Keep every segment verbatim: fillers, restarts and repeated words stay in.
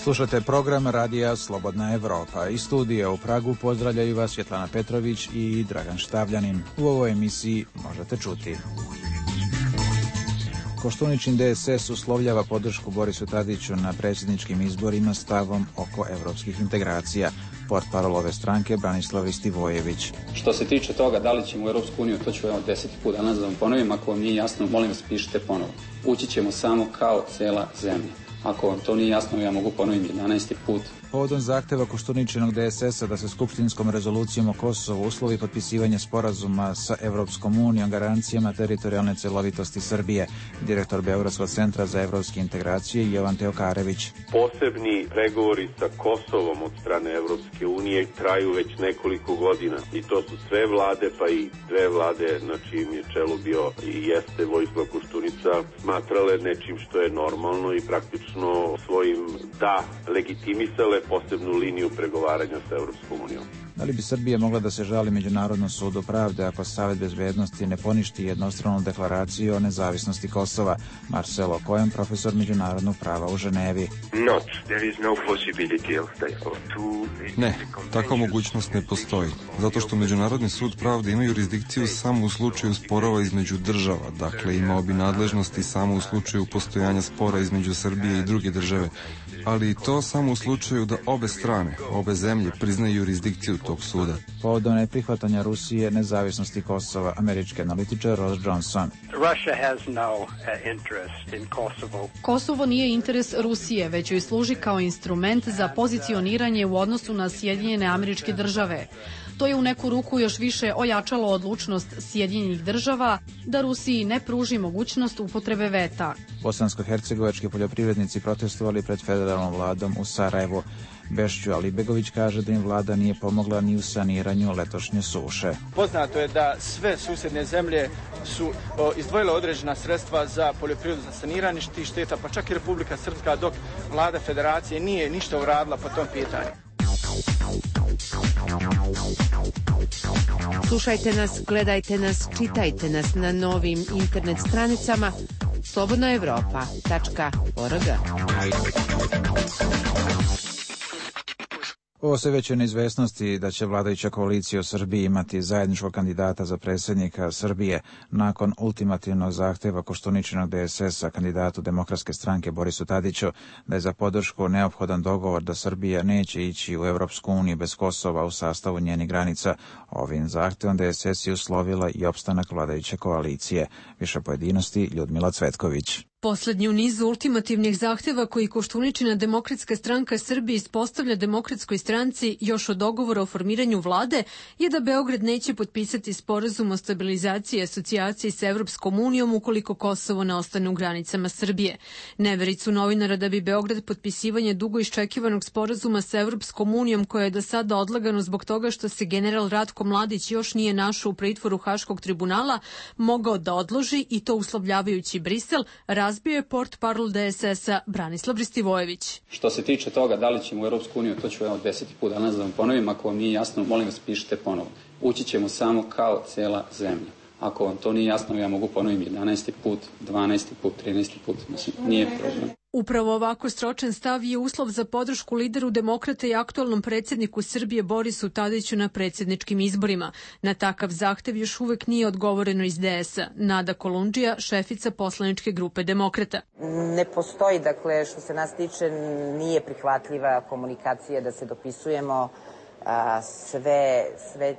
Slušate program Radija Slobodna Evropa. Iz studija u Pragu pozdravljaju vas Svjetlana Petrović i Dragan Štavljanin. U ovoj emisiji možete čuti: Koštuničin D S S uslovljava podršku Borisu Tadiću na predsjedničkim izborima stavom oko evropskih integracija. Portparol ove stranke Branislav Ristivojević. Što se tiče toga da li ćemo u Europsku uniju, to ću evo deseti put danas da vam ponovim. Ako vam nije jasno, molim vas pišite ponovo. Ući ćemo samo kao cela zemlja. Ako vam to nije jasno, ja mogu ponoviti jedanaesti put. Povodom zahteva Koštuničinog D S S-a da se skupštinskom rezolucijom o Kosovu uslovi potpisivanje sporazuma sa Evropskom unijom garancijama teritorijalne celovitosti Srbije, direktor Beogradskog centra za evropske integracije Jovan Teokarević. Posebni pregovori sa Kosovom od strane Evropske unije traju već nekoliko godina i to su sve vlade, pa i dve vlade na čijim je čelu bio i jeste Vojislav Koštunica, smatrale nečim što je normalno i praktično svojim da legitimisale posebnu liniju pregovaranja sa Evropskom unijom. Da li bi Srbija mogla da se žali Međunarodnom sudu pravde ako Savet bezbednosti ne poništi jednostranu deklaraciju o nezavisnosti Kosova? Marcelo Kojan, profesor međunarodnog prava u Ženevi. Ne, takva mogućnost ne postoji, zato što Međunarodni sud pravde ima jurisdikciju samo u slučaju sporova između država, dakle imao bi nadležnosti samo u slučaju postojanja spora između Srbije i druge države, ali i to samo u slučaju da obe strane, obe zemlje priznaju jurisdikciju tog suda. Povodom neprihvatanja Rusije nezavisnosti Kosova, američki analitičar Ross Johnson. No Kosovo nije interes Rusije, već joj služi kao instrument za pozicioniranje u odnosu na Sjedinjene Američke Države. To je u neku ruku još više ojačalo odlučnost Sjedinjenih Država da Rusiji ne pruži mogućnost upotrebe veta. Bosansko-hercegovački poljoprivrednici protestovali pred federalnom vladom u Sarajevu. Bešću Alibegović kaže da im vlada nije pomogla ni u saniranju letošnje suše. Poznato je da sve susjedne zemlje su o, izdvojile određena sredstva za poljoprivredu, za saniranje tih šteta, pa čak i Republika Srpska, dok vlada federacije nije ništa uradila po tom pitanju. Slušajte nas, gledajte nas, čitajte nas na novim internet stranicama slobodna evropa tačka org. Ovo sve veće neizvesnosti da će vladajuća koalicija u Srbiji imati zajedničkog kandidata za predsjednika Srbije nakon ultimativnog zahteva Koštuničinog D S S-a kandidatu Demokratske stranke Borisu Tadiću da je za podršku neophodan dogovor da Srbija neće ići u Evropsku uniju bez Kosova u sastavu njenih granica. Ovim zahtevom D S S je uslovila i opstanak vladajuće koalicije. Više pojedinosti Ljudmila Cvetković. Poslednji u nizu ultimativnih zahteva koji Koštuničina Demokratska stranka Srbije ispostavlja Demokratskoj stranci još od dogovora o formiranju vlade je da Beograd neće potpisati sporazum o stabilizaciji i asocijaciji sa Evropskom unijom ukoliko Kosovo ne ostane u granicama Srbije. Nevericu novinara da bi Beograd potpisivanje dugo iščekivanog sporazuma sa Evropskom unijom koje je do sada odlagano zbog toga što se general Ratko Mladić još nije našao u pritvoru Haškog tribunala mogao da odloži i to uslovljavajući Brisel, razbio je portparol D S S-a Branislav Ristivojević. Što se tiče toga da li ćemo u Europsku uniju, to ću evo deseti put danas da vam ponovim. Ako vam nije jasno, molim vas pišite ponovo. Ući ćemo samo kao cela zemlja. Ako vam to nije jasno, ja mogu ponoviti jedanaesti put, dvanaesti put, trinaesti put. Mislim, nije problem. Upravo ovako stročan stav je uslov za podršku lideru demokrata i aktualnom predsjedniku Srbije Borisu Tadiću na predsjedničkim izborima. Na takav zahtev još uvek nije odgovoreno iz D S-a. Nada Kolundžija, šefica poslaničke grupe demokrata. Ne postoji, dakle, što se nas tiče, nije prihvatljiva komunikacija da se dopisujemo a, sve, sve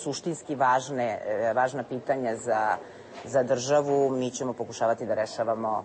suštinski važne, važna pitanja za, za državu. Mi ćemo pokušavati da rešavamo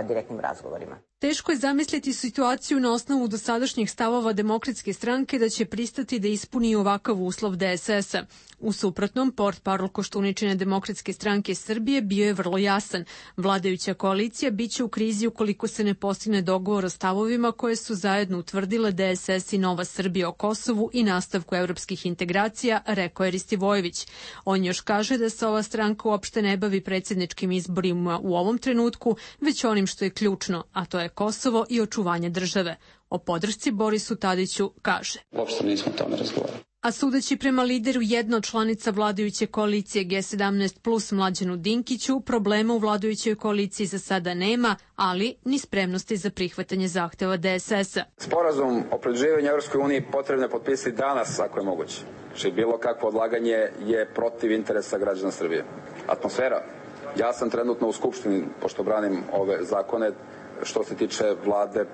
direktnim razgovorima. Teško je zamisliti situaciju na osnovu dosadašnjih stavova Demokratske stranke da će pristati da ispuni ovakav uslov D S S-a. U suprotnom, portparol Koštuničine Demokratske stranke Srbije bio je vrlo jasan. Vladajuća koalicija biće u krizi ukoliko se ne postigne dogovor o stavovima koje su zajedno utvrdile D S S i Nova Srbija o Kosovu i nastavku evropskih integracija, rekao je Ristivojević. On još kaže da se ova stranka uopšte ne bavi predsjedničkim izborima u ovom trenutku, već onim što je ključno, a to je Kosovo i očuvanje države. O podršci Borisu Tadiću kaže. Uopšte nismo o tome razgovarali. A sudeći prema lideru jedne od članica vladajuće koalicije G sedamnaest plus Mlađanu Dinkiću, problema u vladajućoj koaliciji za sada nema, ali ni spremnosti za prihvatanje zahteva D S S-a. Sporazum o pridruživanju Evropskoj uniji potrebno je potpisati danas ako je moguće. Znači bilo kakvo odlaganje je protiv interesa građana Srbije. Atmosfera. Ja sam trenutno u Skupštini, pošto branim ove zakone, što se tiče vlade,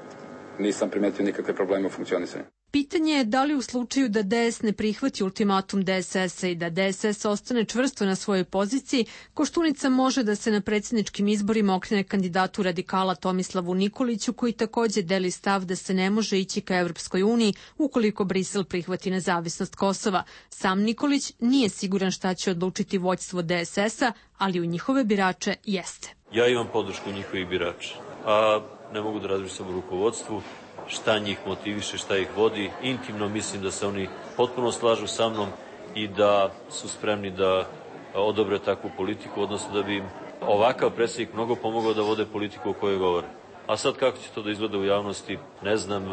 nisam primetio nikakve probleme u funkcionisanju. Pitanje je da li u slučaju da D S ne prihvati ultimatum D S S-a i da D S S ostane čvrsto na svojoj poziciji, Koštunica može da se na predsjedničkim izborima okrene kandidatu radikala Tomislavu Nikoliću, koji takođe deli stav da se ne može ići ka Evropskoj uniji ukoliko Brisel prihvati nezavisnost Kosova. Sam Nikolić nije siguran šta će odlučiti vođstvo D S S-a, ali u njihove birače jeste. Ja imam podršku njihovih birača, a ne mogu da razmišljam o rukovodstvu. Šta njih motiviše, šta ih vodi. Intimno mislim da se oni potpuno slažu sa mnom i da su spremni da odobre takvu politiku, odnosno da bi im ovakav predsjednik mnogo pomogao da vode politiku o kojoj govore. A sad kako će to da izgleda u javnosti, ne znam,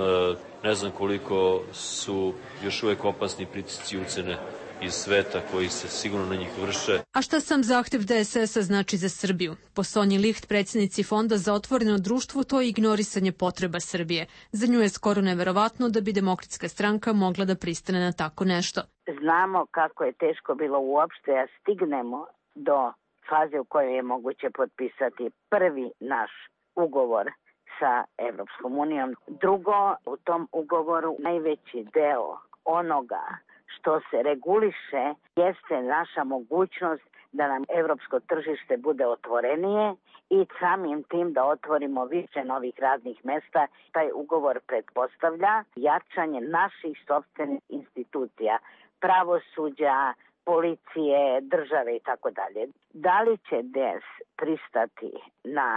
ne znam koliko su još uvek opasni pritisci ucene iz sveta koji se sigurno na njih vrše. A šta sam zahtev D S S-a znači za Srbiju? Po Sonji Licht, predsjednici Fonda za otvoreno društvo, to je ignorisanje potreba Srbije. Za nju je skoro neverovatno da bi Demokratska stranka mogla da pristane na tako nešto. Znamo kako je teško bilo uopšte da stignemo do faze u kojoj je moguće potpisati prvi naš ugovor sa Evropskom unijom. Drugo, u tom ugovoru najveći deo onoga što se reguliše jeste naša mogućnost da nam evropsko tržište bude otvorenije i samim tim da otvorimo više novih radnih mesta. Taj ugovor pretpostavlja jačanje naših sopstvenih institucija, pravosuđa, policije, države i tako dalje. Da li će D S pristati na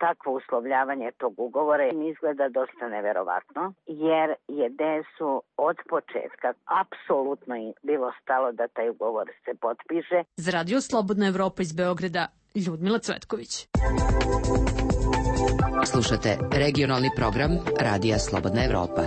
takvo uslovljavanje tog ugovora mi izgleda dosta neverovatno, jer je D S-u od početka apsolutno bilo stalo da taj ugovor se potpiše. Za Radio Slobodna Evropa iz Beograda, Ljudmila Cvetković. Slušate regionalni program Radija Slobodna Evropa.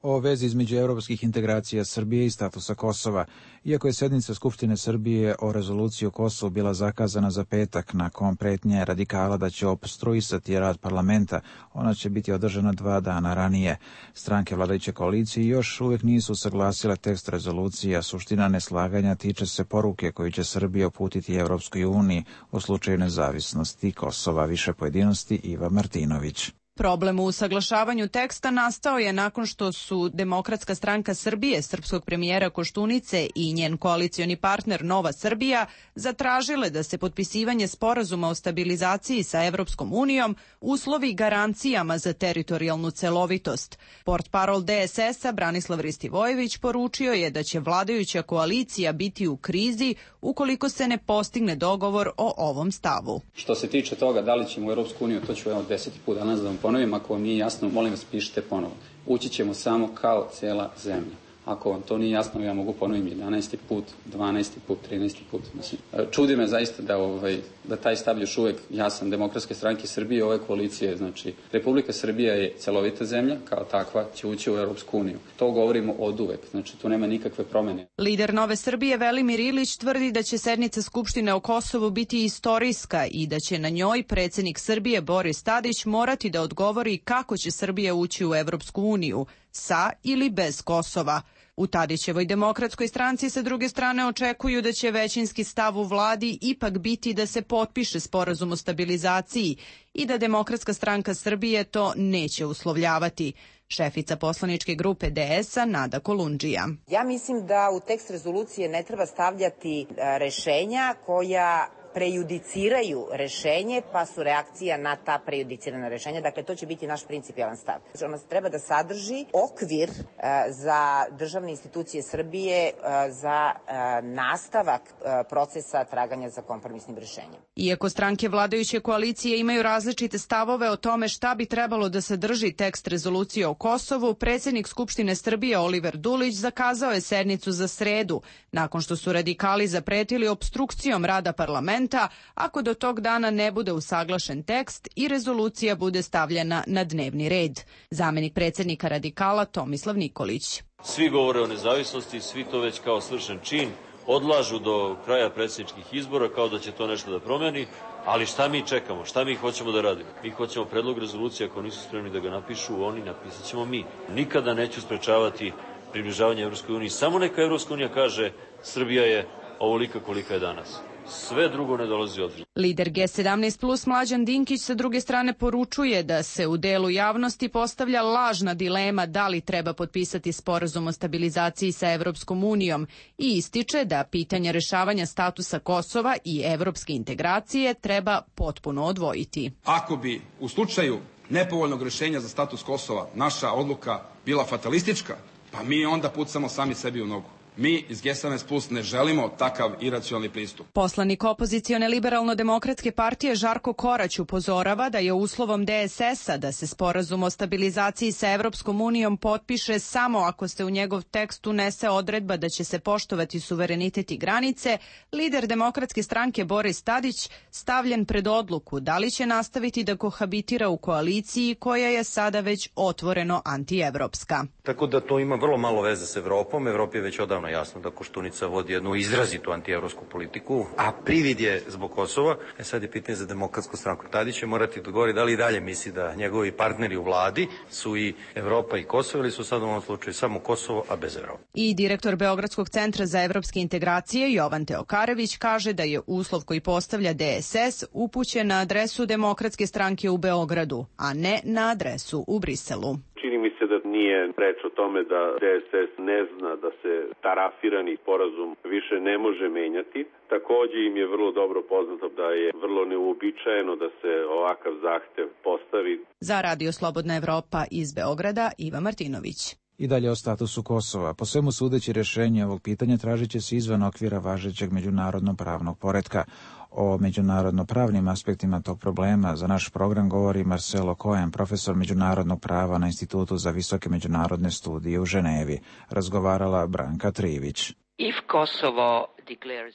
O vezi između evropskih integracija Srbije i statusa Kosova. Iako je sednica Skupštine Srbije o rezoluciji o Kosovu bila zakazana za petak nakon pretnje radikala da će opstruisati rad parlamenta, ona će biti održana dva dana ranije. Stranke vladajuće koalicije još uvijek nisu usaglasile tekst rezolucije, a suština neslaganja tiče se poruke koju će Srbija uputiti Evropskoj uniji u slučaju nezavisnosti Kosova. Više pojedinosti Iva Martinović. Problem u usaglašavanju teksta nastao je nakon što su Demokratska stranka Srbije, srpskog premijera Koštunice i njen koalicioni partner Nova Srbija zatražile da se potpisivanje sporazuma o stabilizaciji sa Evropskom unijom uslovi garancijama za teritorijalnu celovitost. Portparol D S S-a Branislav Ristivojević poručio je da će vladajuća koalicija biti u krizi ukoliko se ne postigne dogovor o ovom stavu. Što se tiče toga da li ćemo u Evropsku uniju, to ću evo deseti put danas da vam ponovim, ako vam nije jasno, molim vas pišite ponovo. Ući ćemo samo kao cela zemlja. Ako vam to nije jasno, ja mogu ponovim jedanaesti put, dvanaesti put, trinaesti put. Mislim, čudi me zaista da, ovaj, da taj stav još uvek, ja sam Demokratske stranke Srbije, ove koalicije, znači Republika Srbija je celovita zemlja, kao takva će ući u Europsku uniju. To govorimo od uvek, znači tu nema nikakve promene. Lider Nove Srbije Velimir Ilić tvrdi da će sednica Skupštine o Kosovu biti istorijska i da će na njoj predsjednik Srbije Boris Tadić morati da odgovori kako će Srbija ući u Evropsku uniju, sa ili bez Kosova. U Tadićevoj Demokratskoj stranci sa druge strane očekuju da će većinski stav u vladi ipak biti da se potpiše sporazum o stabilizaciji i da Demokratska stranka Srbije to neće uslovljavati. Šefica poslaničke grupe D S-a Nada Kolundžija. Ja mislim da u tekst rezolucije ne treba stavljati rešenja koja prejudiciraju rešenje, pa su reakcija na ta prejudicirana rešenja. Dakle, to će biti naš principijalan stav. Ono treba da sadrži okvir uh, za državne institucije Srbije uh, za uh, nastavak uh, procesa traganja za kompromisnim rešenjem. Iako stranke vladajuće koalicije imaju različite stavove o tome šta bi trebalo da sadrži tekst rezolucije o Kosovu, predsjednik Skupštine Srbije Oliver Dulić zakazao je sednicu za sredu, nakon što su radikali zapretili opstrukcijom rada parlamenta parlamenta ako do tog dana ne bude usaglašen tekst i rezolucija bude stavljena na dnevni red. Zamenik predsjednika Radikala Tomislav Nikolić. Svi govore o nezavisnosti, svi to već kao svršen čin odlažu do kraja predsjedničkih izbora kao da će to nešto da promeni, ali šta mi čekamo, šta mi hoćemo da radimo? Mi hoćemo predlog rezolucije, ako nisu spremni da ga napišu, oni napisat ćemo mi. Nikada neću sprečavati približavanje Evropskoj uniji, samo neka Evropska unija kaže Srbija je ovolika kolika je danas. Sve drugo ne dolazi od. Lider G sedamnaest plus Mlađan Dinkić sa druge strane poručuje da se u delu javnosti postavlja lažna dilema da li treba potpisati sporazum o stabilizaciji sa Evropskom unijom i ističe da pitanje rešavanja statusa Kosova i evropske integracije treba potpuno odvojiti. Ako bi u slučaju nepovoljnog rešenja za status Kosova naša odluka bila fatalistička, pa mi onda pucamo sami sebi u nogu. Mi iz G sedamnaest plus ne želimo takav iracionalni pristup. Poslanik opozicione liberalno-demokratske partije Žarko Korać upozorava da je uslovom D S S-a da se sporazum o stabilizaciji sa Evropskom unijom potpiše samo ako se u njegov tekst unese odredba da će se poštovati suverenitet i granice, lider Demokratske stranke Boris Tadić stavljen pred odluku da li će nastaviti da kohabitira u koaliciji koja je sada već otvoreno antievropska. Tako da to ima vrlo malo veze s Evropom. Evropi je već odavno jasno da Koštunica vodi jednu izrazitu antievropsku politiku, a privid je zbog Kosova. E sad je pitanje za Demokratsku stranku. Tadić će morati odgovoriti da li i dalje misli da njegovi partneri u vladi su i Evropa i Kosovo ili su sad u ovom slučaju samo Kosovo, a bez Evrope. I direktor Beogradskog centra za evropske integracije Jovan Teokarević kaže da je uslov koji postavlja D S S upućen na adresu Demokratske stranke u Beogradu, a ne na adresu u Briselu. Čini mi se da nije reč o tome da D S S ne zna da se tarafirani sporazum više ne može menjati. Takođe im je vrlo dobro poznato da je vrlo neuobičajeno da se ovakav zahtev postavi. Za Radio Slobodna Evropa iz Beograda, Iva Martinović. I dalje o statusu Kosova. Po svemu sudeći rješenje ovog pitanja tražit će se izvan okvira važećeg međunarodno-pravnog poretka. O međunarodno-pravnim aspektima tog problema za naš program govori Marcelo Cohen, profesor međunarodnog prava na Institutu za visoke međunarodne studije u Ženevi. Razgovarala Branka Trivić.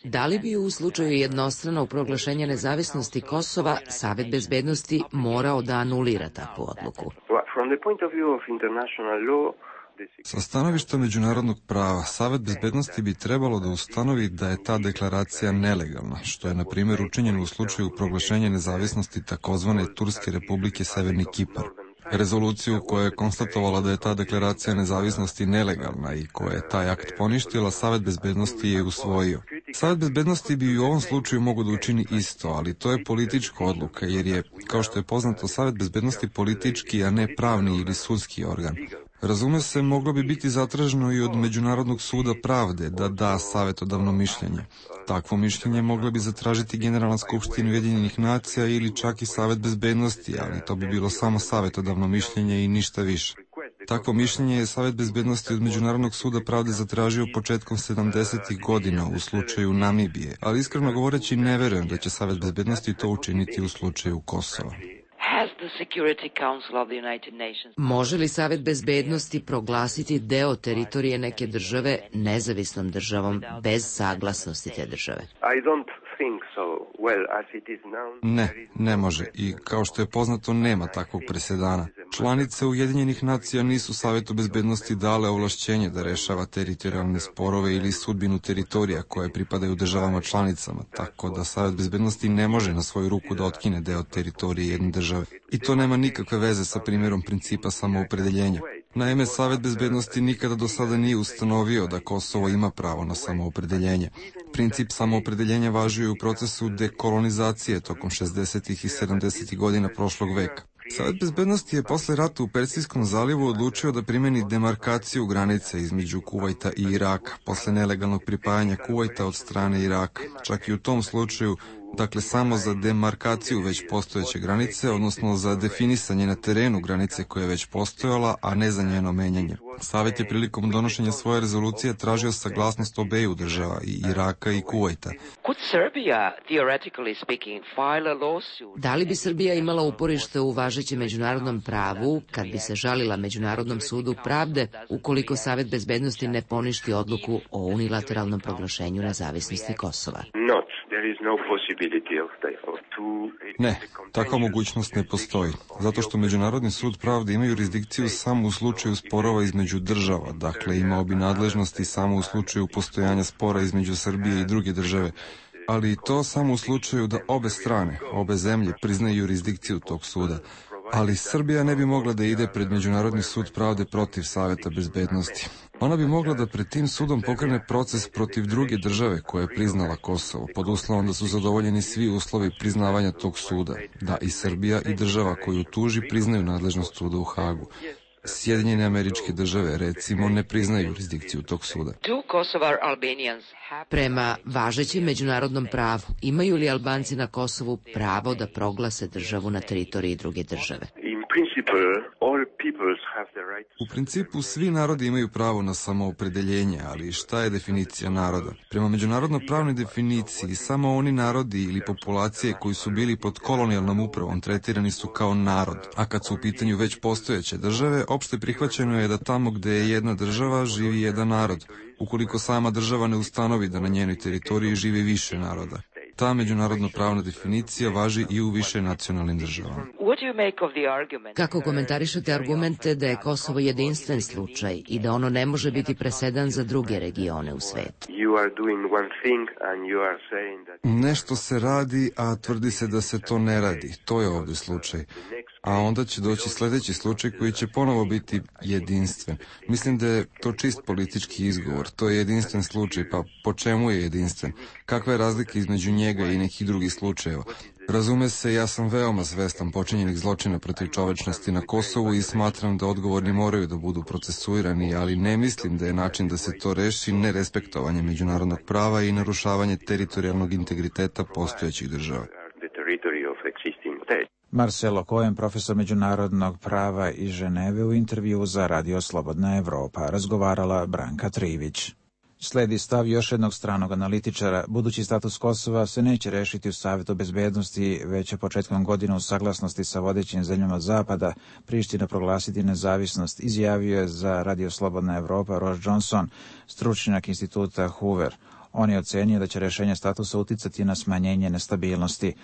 Da li bi u slučaju jednostranog proglašenja nezavisnosti Kosova Savet bezbednosti morao da anulira takvu odluku? Sa stanovišta međunarodnog prava, Savet bezbednosti bi trebalo da ustanovi da je ta deklaracija nelegalna, što je, na primjer, učinjeno u slučaju proglašenja nezavisnosti takozvane Turske republike Severni Kipar. Rezoluciju koja je konstatovala da je ta deklaracija nezavisnosti nelegalna i koja je taj akt poništila, Savet bezbednosti je usvojio. Savet bezbednosti bi u ovom slučaju mogao da učini isto, ali to je politička odluka, jer je, kao što je poznato, Savet bezbednosti politički, a ne pravni ili sudski organ. Razume se, moglo bi biti zatraženo i od Međunarodnog suda pravde da da savjetodavno mišljenje. Takvo mišljenje mogla bi zatražiti Generalna skupština Ujedinjenih nacija ili čak i Savet bezbednosti, ali to bi bilo samo savjetodavno mišljenje i ništa više. Takvo mišljenje je Savet bezbednosti od Međunarodnog suda pravde zatražio početkom sedamdesetih godina u slučaju Namibije, ali iskreno govoreći ne verujem da će Savet bezbednosti to učiniti u slučaju Kosova. Može li Savet bezbednosti proglasiti deo teritorije neke države nezavisnom državom bez saglasnosti te države? Ne, ne može i kao što je poznato nema takvog presedana. Članice Ujedinjenih nacija nisu Savetu bezbednosti dale ovlašćenje da rešava teritorijalne sporove ili sudbinu teritorija koje pripadaju državama članicama, tako da Savet bezbednosti ne može na svoju ruku da otkine deo teritorije jedne države. I to nema nikakve veze sa primjerom principa samoopredeljenja. Naime, Savet bezbednosti nikada do sada nije ustanovio da Kosovo ima pravo na samoopredeljenje. Princip samoopredeljenja važio je u procesu dekolonizacije tokom šezdesetih i sedamdesetih godina prošlog veka. Savet bezbednosti je posle rata u Persijskom zalivu odlučio da primeni demarkaciju granice između Kuvajta i Iraka, posle nelegalnog pripajanja Kuvajta od strane Iraka. Čak i u tom slučaju, dakle samo za demarkaciju već postojeće granice, odnosno za definisanje na terenu granice koja je već postojala, a ne za njeno menjanje. Savet je prilikom donošenja svoje rezolucije tražio saglasnost obeju država, i Iraka i Kuvajta. Da li bi Srbija imala uporište u važećem međunarodnom pravu kad bi se žalila Međunarodnom sudu pravde ukoliko Savet bezbednosti ne poništi odluku o unilateralnom proglašenju nezavisnosti Kosova? Ne, takva mogućnost ne postoji, zato što Međunarodni sud pravde ima jurisdikciju samo u slučaju sporova između država, dakle imao bi nadležnosti samo u slučaju postojanja spora između Srbije i druge države, ali to samo u slučaju da obe strane, obe zemlje priznaju jurisdikciju tog suda. Ali Srbija ne bi mogla da ide pred Međunarodni sud pravde protiv Saveta bezbednosti. Ona bi mogla da pred tim sudom pokrene proces protiv druge države koja je priznala Kosovo, pod uslovom da su zadovoljeni svi uslovi priznavanja tog suda, da i Srbija i država koju tuži priznaju nadležnost suda u Hagu. Sjedinjene Američke Države, recimo, ne priznaju jurisdikciju tog suda. Prema važećem međunarodnom pravu, imaju li Albanci na Kosovu pravo da proglase državu na teritoriji druge države? U principu, svi narodi imaju pravo na samoopredeljenje, ali šta je definicija naroda? Prema međunarodno pravnoj definiciji, samo oni narodi ili populacije koji su bili pod kolonijalnom upravom tretirani su kao narod, a kad su u pitanju već postojeće države, opšte prihvaćeno je da tamo gde je jedna država živi jedan narod, ukoliko sama država ne ustanovi da na njenoj teritoriji živi više naroda. Ta međunarodno pravna definicija važi i u više nacionalnim državama. Kako komentarišete argumente da je Kosovo jedinstven slučaj i da ono ne može biti presedan za druge regione u svetu? Nešto se radi, a tvrdi se da se to ne radi. To je ovdje slučaj. A onda će doći sljedeći slučaj koji će ponovo biti jedinstven. Mislim da je to čist politički izgovor. To je jedinstven slučaj, pa po čemu je jedinstven? Kakva je razlika između njega i nekih drugih slučajeva? Razume se, ja sam veoma svestan počinjenih zločina protiv čovečnosti na Kosovu i smatram da odgovorni moraju da budu procesuirani, ali ne mislim da je način da se to reši nerespektovanje međunarodnog prava i narušavanje teritorijalnog integriteta postojećih država. Marcelo Cohen, profesor međunarodnog prava iz Ženeve, u intervju za Radio Slobodna Evropa, razgovarala Branka Trivić. Sledi stav još jednog stranog analitičara. Budući status Kosova se neće rešiti u Savetu bezbednosti, već će početkom godine u saglasnosti sa vodećim zemljama Zapada Priština proglasiti nezavisnost, izjavio je za Radio Slobodna Evropa Ross Johnson, stručnjak instituta Hoover. On je ocenio da će rešenje statusa uticati na smanjenje nestabilnosti.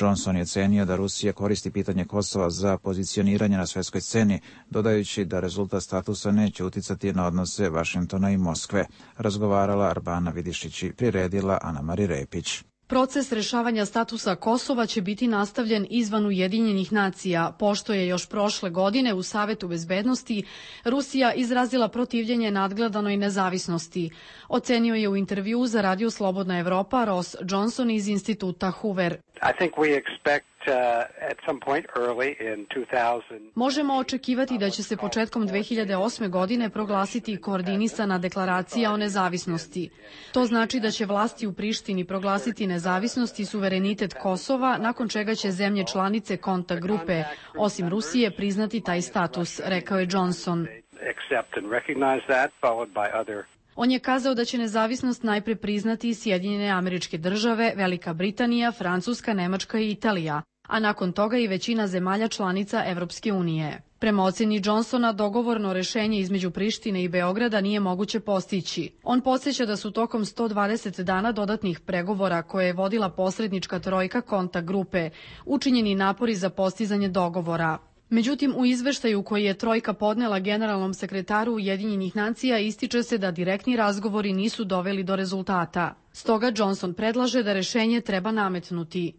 Johnson je ocenio da Rusija koristi pitanje Kosova za pozicioniranje na svetskoj sceni, dodajući da rezultat statusa neće uticati na odnose Vašingtona i Moskve. Razgovarala Arbana Vidišić i priredila Ana Mari Repić. Proces rešavanja statusa Kosova će biti nastavljen izvan Ujedinjenih nacija, pošto je još prošle godine u Savetu bezbednosti Rusija izrazila protivljenje nadgledanoj nezavisnosti. Ocenio je u intervju za Radio Slobodna Evropa Ross Johnson iz instituta Hoover. Možemo očekivati da će se početkom dve hiljade osme. godine proglasiti koordinisana deklaracija o nezavisnosti. To znači da će vlasti u Prištini proglasiti nezavisnost i suverenitet Kosova, nakon čega će zemlje članice kontakt grupe, osim Rusije, priznati taj status, rekao je Johnson. On je kazao da će nezavisnost najpre priznati Sjedinjene Američke Države, Velika Britanija, Francuska, Nemačka i Italija, a nakon toga i većina zemalja članica Evropske unije. Prema oceni Johnsona, dogovorno rešenje između Prištine i Beograda nije moguće postići. On podsjeća da su tokom sto dvadeset dana dodatnih pregovora koje je vodila posrednička trojka kontakt grupe učinjeni napori za postizanje dogovora. Međutim, u izveštaju koji je trojka podnela generalnom sekretaru Ujedinjenih nacija ističe se da direktni razgovori nisu doveli do rezultata. Stoga Johnson predlaže da rešenje treba nametnuti.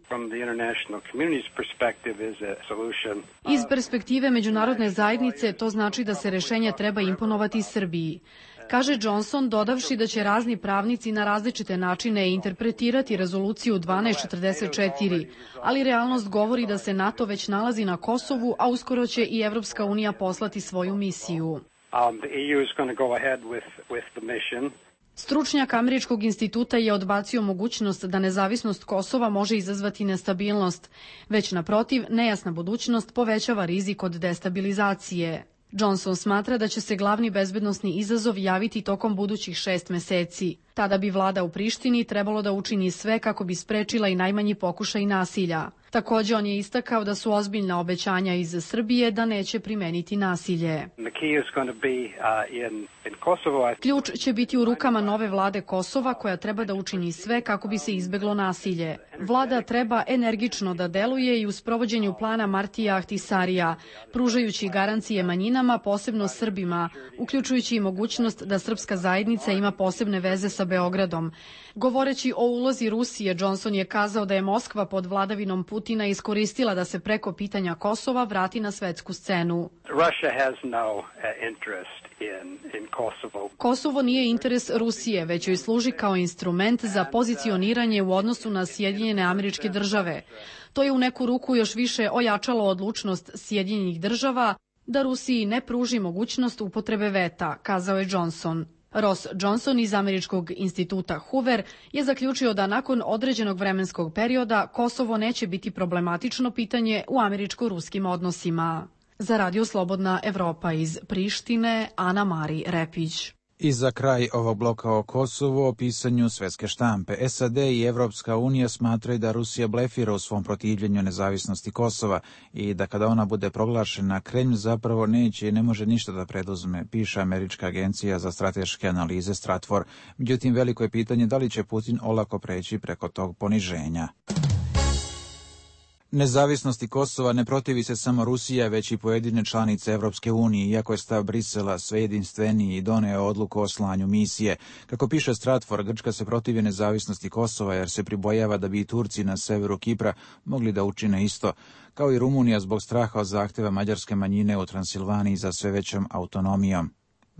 Iz perspektive međunarodne zajednice to znači da se rešenje treba imponovati Srbiji. Kaže Johnson, dodavši da će razni pravnici na različite načine interpretirati rezoluciju dvanaest četrdeset četiri, ali realnost govori da se NATO već nalazi na Kosovu, a uskoro će i Evropska unija poslati svoju misiju. Stručnjak Američkog instituta je odbacio mogućnost da nezavisnost Kosova može izazvati nestabilnost, već naprotiv, nejasna budućnost povećava rizik od destabilizacije. Johnson smatra da će se glavni bezbednosni izazov javiti tokom budućih šest meseci. Tada bi vlada u Prištini trebalo da učini sve kako bi sprečila i najmanji pokušaj nasilja. Takođe, on je istakao da su ozbiljna obećanja iz Srbije da neće primeniti nasilje. Ključ će biti u rukama nove vlade Kosova, koja treba da učini sve kako bi se izbeglo nasilje. Vlada treba energično da deluje i u sprovođenju plana Martija Ahtisarija, pružajući garancije manjinama, posebno Srbima, uključujući i mogućnost da srpska zajednica ima posebne veze sa Beogradom. Govoreći o ulozi Rusije, Johnson je kazao da je Moskva pod vladavinom Putina iskoristila da se preko pitanja Kosova vrati na svetsku scenu. Kosovo nije interes Rusije, već joj služi kao instrument za pozicioniranje u odnosu na Sjedinjene Američke Države. To je u neku ruku još više ojačalo odlučnost Sjedinjenih Država da Rusiji ne pruži mogućnost upotrebe veta, kazao je Johnson. Ross Johnson iz Američkog instituta Hoover je zaključio da nakon određenog vremenskog perioda Kosovo neće biti problematično pitanje u američko-ruskim odnosima. Za Radio Slobodna Evropa iz Prištine, Ana Mari Repić. I za kraj ovog bloka o Kosovu o pisanju svetske štampe. S A D i Evropska unija smatraju da Rusija blefira u svom protivljenju nezavisnosti Kosova i da kada ona bude proglašena, Kremlj zapravo neće i ne može ništa da preduzme, piše Američka agencija za strateške analize Stratfor. Međutim, veliko je pitanje da li će Putin olako preći preko tog poniženja. Nezavisnosti Kosova ne protivi se samo Rusija, već i pojedine članice Evropske unije, iako je stav Brisela sve jedinstveniji i doneo odluku o slanju misije. Kako piše Stratfor, Grčka se protivi nezavisnosti Kosova jer se pribojava da bi i Turci na severu Kipra mogli da učine isto, kao i Rumunija zbog straha od zahteva mađarske manjine u Transilvaniji za sve većom autonomijom.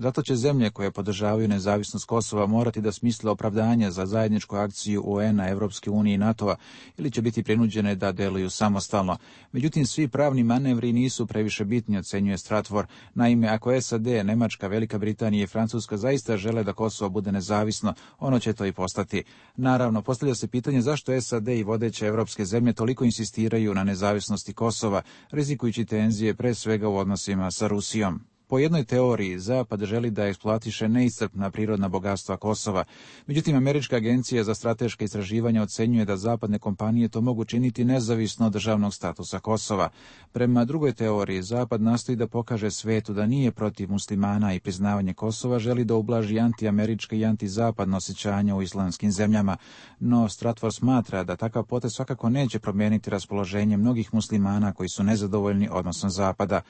Zato će zemlje koje podržavaju nezavisnost Kosova morati da smisle opravdanja za zajedničku akciju U N-a, Evropske unije i NATO-a ili će biti prinuđene da deluju samostalno. Međutim, svi pravni manevri nisu previše bitni, ocenjuje Stratfor. Naime, ako S A D, Nemačka, Velika Britanija i Francuska zaista žele da Kosovo bude nezavisno, ono će to i postati. Naravno, postavlja se pitanje zašto S A D i vodeće evropske zemlje toliko insistiraju na nezavisnosti Kosova, rizikujući tenzije pre svega u odnosima sa Rusijom. Po jednoj teoriji, Zapad želi da eksploatiše neiscrpna prirodna bogatstva Kosova. Međutim, Američka agencija za strateška istraživanja ocenjuje da zapadne kompanije to mogu činiti nezavisno od državnog statusa Kosova. Prema drugoj teoriji, Zapad nastoji da pokaže svetu da nije protiv muslimana i priznavanje Kosova, želi da ublaži antiamerička i antizapadno osjećanja u islamskim zemljama. No, Stratfor smatra da takav potez svakako neće promijeniti raspoloženje mnogih muslimana koji su nezadovoljni odnosom Zapada.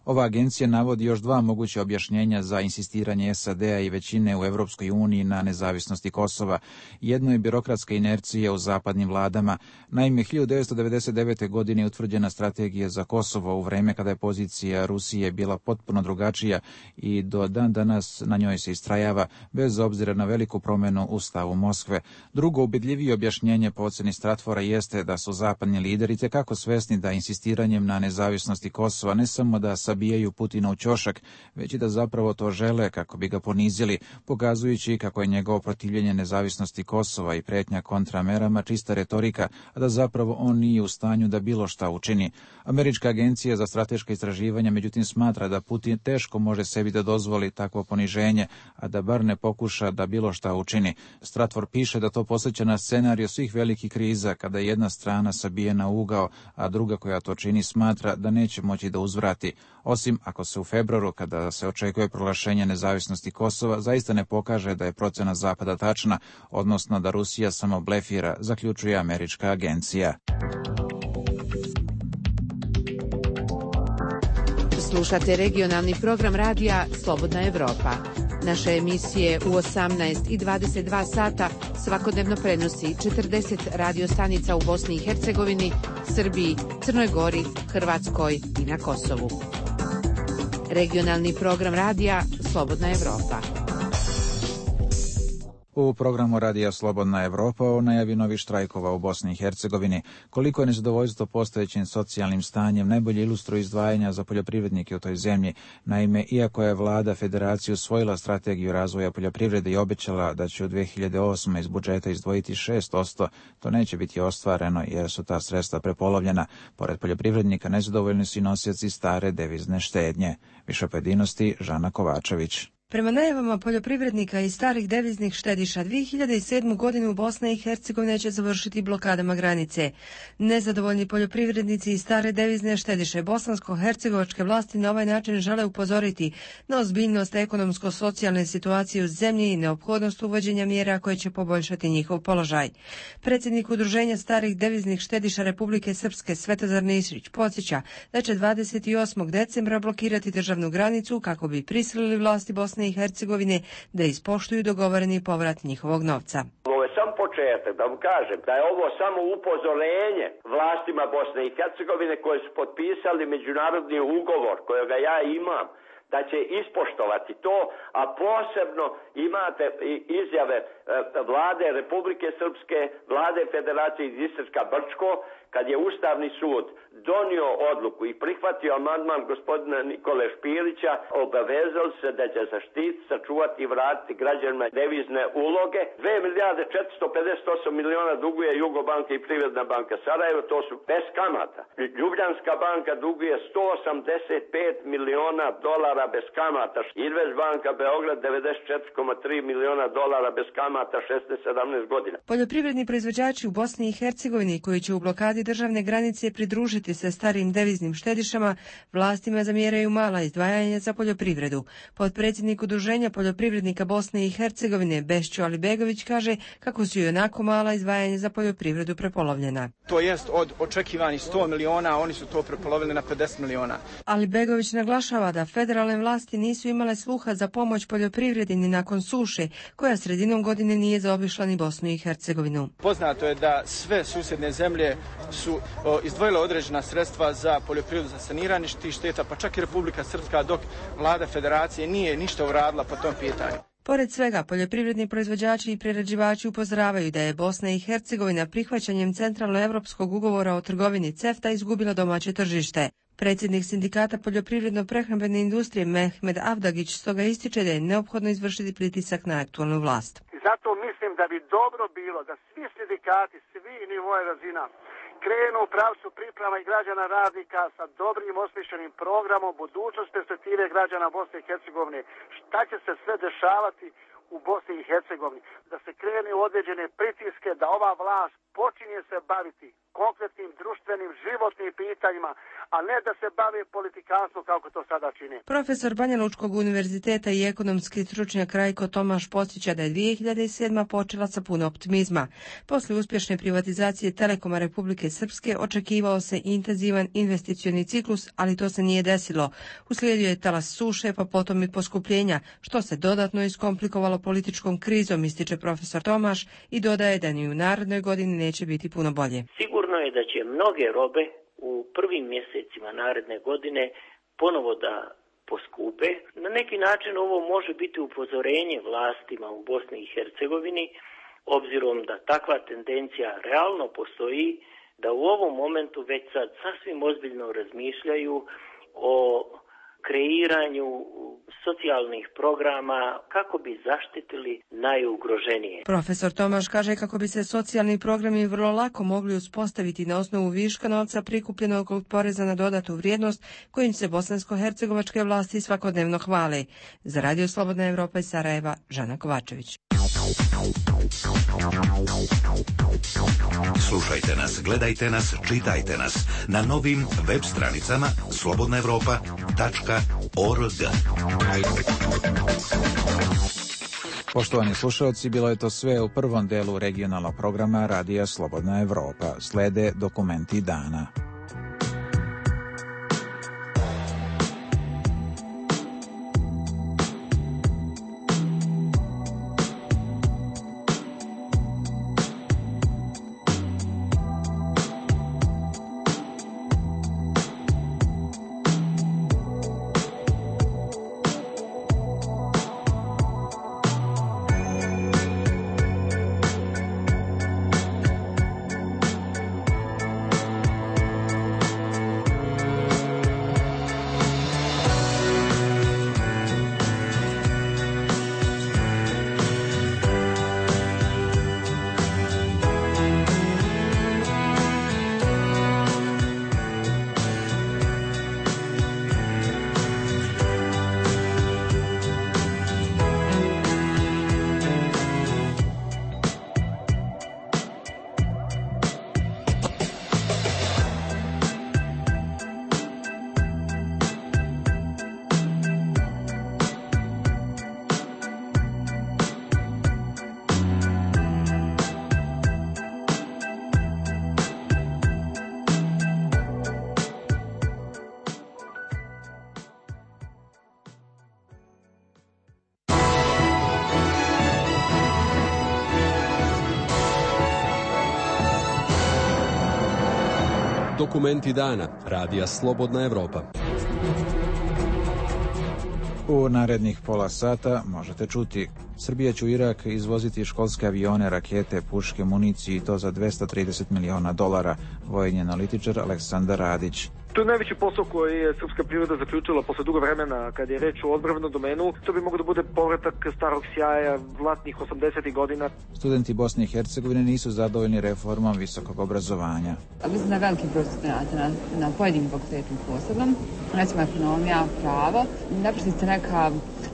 Ova agencija navodi još dva moguće objašnjenja za insistiranje S A D-a i većine u Evropskoj uniji na nezavisnosti Kosova. Jedno je birokratska inercija u zapadnim vladama. Naime, hiljadu devetsto devedeset devete. godine je utvrđena strategija za Kosovo u vreme kada je pozicija Rusije bila potpuno drugačija i do dan danas na njoj se istrajava, bez obzira na veliku promjenu u stavu Moskve. Drugo ubedljivije objašnjenje po oceni Stratfora jeste da su zapadni lideri tekako svesni da insistiranjem na nezavisnosti Kosova ne samo da sabijaju Putina u ćošak, već i da zapravo to žele kako bi ga ponizili, pokazujući kako je njegovo protivljenje nezavisnosti Kosova i pretnja kontramerama čista retorika, a da zapravo on nije u stanju da bilo šta učini. Američka agencija za strateška istraživanja međutim smatra da Putin teško može sebi da dozvoli takvo poniženje, a da bar ne pokuša da bilo šta učini. Stratfor piše da to posjeća na scenario svih velikih kriza, kada je jedna strana sabijena u ugao, a druga koja to čini smatra da neće moći da uzvrati. Osim ako se u februaru, kada se očekuje proglašenje nezavisnosti Kosova, zaista ne pokaže da je procena Zapada tačna, odnosno da Rusija samo blefira, zaključuje Američka agencija. Slušate regionalni program radija Slobodna Evropa. Naše emisije u osamnaest i dvadeset dva sata svakodnevno prenosi četrdeset radio stanica u Bosni i Hercegovini, Srbiji, Crnoj Gori, Hrvatskoj i na Kosovu. Regionalni program radija Slobodna Evropa. U programu Radija Slobodna Evropa o najavi novih štrajkova u Bosni i Hercegovini. Koliko je nezadovoljstvo postojećim socijalnim stanjem najbolje ilustruje izdvajanja za poljoprivrednike u toj zemlji. Naime, iako je vlada federacije usvojila strategiju razvoja poljoprivrede i obećala da će u dve hiljade osme. iz budžeta izdvojiti šest posto, to neće biti ostvareno jer su ta sredstva prepolovljena. Pored poljoprivrednika nezadovoljni su i nosioci stare devizne štednje. Više pojedinosti Žana Kovačević. Prema najavama poljoprivrednika i starih deviznih štediša, dvije hiljade sedmu. godinu Bosna i Hercegovina će završiti blokadama granice. Nezadovoljni poljoprivrednici i stare devizne štediše bosansko-hercegovačke vlasti na ovaj način žele upozoriti na ozbiljnost ekonomsko-socijalne situacije u zemlji i neophodnost uvođenja mjera koje će poboljšati njihov položaj. Predsjednik Udruženja starih deviznih štediša Republike Srpske Svetozar Nisrić podsjeća da će dvadeset osmog decembra blokirati državnu granicu kako bi prisilili vlasti Bosne i Hercegovine da ispoštuju dogovoreni povrat njihovog novca. Ovo je sam početak, da vam kažem, da je ovo samo upozorenje vlastima Bosne i Hercegovine koje su potpisali međunarodni ugovor kojega ja imam, da će ispoštovati to, a posebno imate izjave vlade Republike Srpske, vlade Federacije iz Istarska Brčko, kad je Ustavni sud donio odluku i prihvatio amandman gospodina Nikole Špilića, obavezali se da će zaštiti, sačuvati i vratiti građanima devizne uloge. dve milijarde četiristo pedeset osam miliona duguje Jugobanka i Privredna banka Sarajevo, to su bez kamata. Ljubljanska banka duguje sto osamdeset pet miliona dolara bez kamata. Investbanka Beograd devedeset četiri zarez tri miliona dolara bez kamata šesnaest sedamnaest godina. Poljoprivredni proizvođači u Bosni i Hercegovini koji će u blokadi državne granice pridružiti se starim deviznim štedišama, vlastima zamjeraju mala izdvajanja za poljoprivredu. Potpredsjednik Udruženja poljoprivrednika Bosne i Hercegovine Bešćo Alibegović kaže kako su i onako mala izdvajanja za poljoprivredu prepolovljena. To jest od očekivanih sto miliona, oni su to prepolovili na pedeset miliona. Alibegović naglašava da federalne vlasti nisu imale sluha za pomoć poljoprivredi ni nakon suše, koja sredinom godine nije zaobišla ni Bosnu i Hercegovinu. Poznato je da sve susjedne zemlje su o, izdvojile određena sredstva za poljoprivredu, za saniranje tih šteta, pa čak i Republika Srpska, dok vlada Federacije nije ništa uradila po tom pitanju. Pored svega, poljoprivredni proizvođači i prerađivači upozoravaju da je Bosna i Hercegovina prihvaćanjem Centralno-evropskog ugovora o trgovini CEFTA izgubila domaće tržište. Predsjednik sindikata poljoprivredno-prehrambene industrije Mehmed Avdagić stoga ističe da je neophodno izvršiti pritisak na aktualnu vlast. Zato mislim da bi dobro bilo da svi sindikati, svi nivoje razina krenu u pravcu priprema i građana radnika sa dobrim osmišljenim programom budućnost perspektive građana Bosne i Hercegovine. Šta će se sve dešavati u Bosni i Hercegovini? Da se krene u određene pritiske, da ova vlast počinje se baviti konkretnim društvenim životnim pitanjima, a ne da se bave politikanstvom kako to sada čine. Profesor Banja Lučkog univerziteta i ekonomski stručnjak Rajko Tomaš podsjeća da je dvije hiljade sedma. počela sa puno optimizma. Poslije uspješne privatizacije Telekoma Republike Srpske očekivao se intenzivan investicioni ciklus, ali to se nije desilo. Uslijedio je talas suše, pa potom i poskupljenja, što se dodatno iskomplikovalo političkom krizom, ističe profesor Tomaš i dodaje da ni u narednoj godini neće biti puno bolje. Sigurno je da će mnoge robe u prvim mjesecima naredne godine ponovo da poskupe. Na neki način ovo može biti upozorenje vlastima u Bosni i Hercegovini, obzirom da takva tendencija realno postoji, da u ovom momentu već sad sasvim ozbiljno razmišljaju o kreiranju socijalnih programa kako bi zaštitili najugroženije. Profesor Tomaš kaže kako bi se socijalni programi vrlo lako mogli uspostaviti na osnovu viška novca prikupljenog od poreza na dodatu vrijednost kojim se bosansko-hercegovačke vlasti svakodnevno hvale. Za Radio Slobodna Evropa iz Sarajeva, Žana Kovačević. Slušajte nas, gledajte nas, čitajte nas na novim web stranicama slobodna evropa tačka org. Poštovani slušalci, bilo je to sve u prvom delu regionalnog programa Radija Slobodna Evropa. Slede dokumenti dana. Dokumenti dana. Radija Slobodna Evropa. U narednih pola sata možete čuti: Srbija će u Irak izvoziti školske avione, rakete, puške, municiju i to za dvesta trideset miliona dolara. Vojni analitičar Aleksandar Radić. To je najveći posao koji je srpska privreda zaključila posle dugo vremena kad je reč o odbrambenom domenu. To bi moglo da bude povratak starog sjaja zlatnih osamdesetih godina. Studenti Bosne i Hercegovine nisu zadovoljni reformom visokog obrazovanja. Mislim da je veliki broj studenta na, na pojedinim fakultetima posebno, recimo ekonomija, pravo, ne prati se neka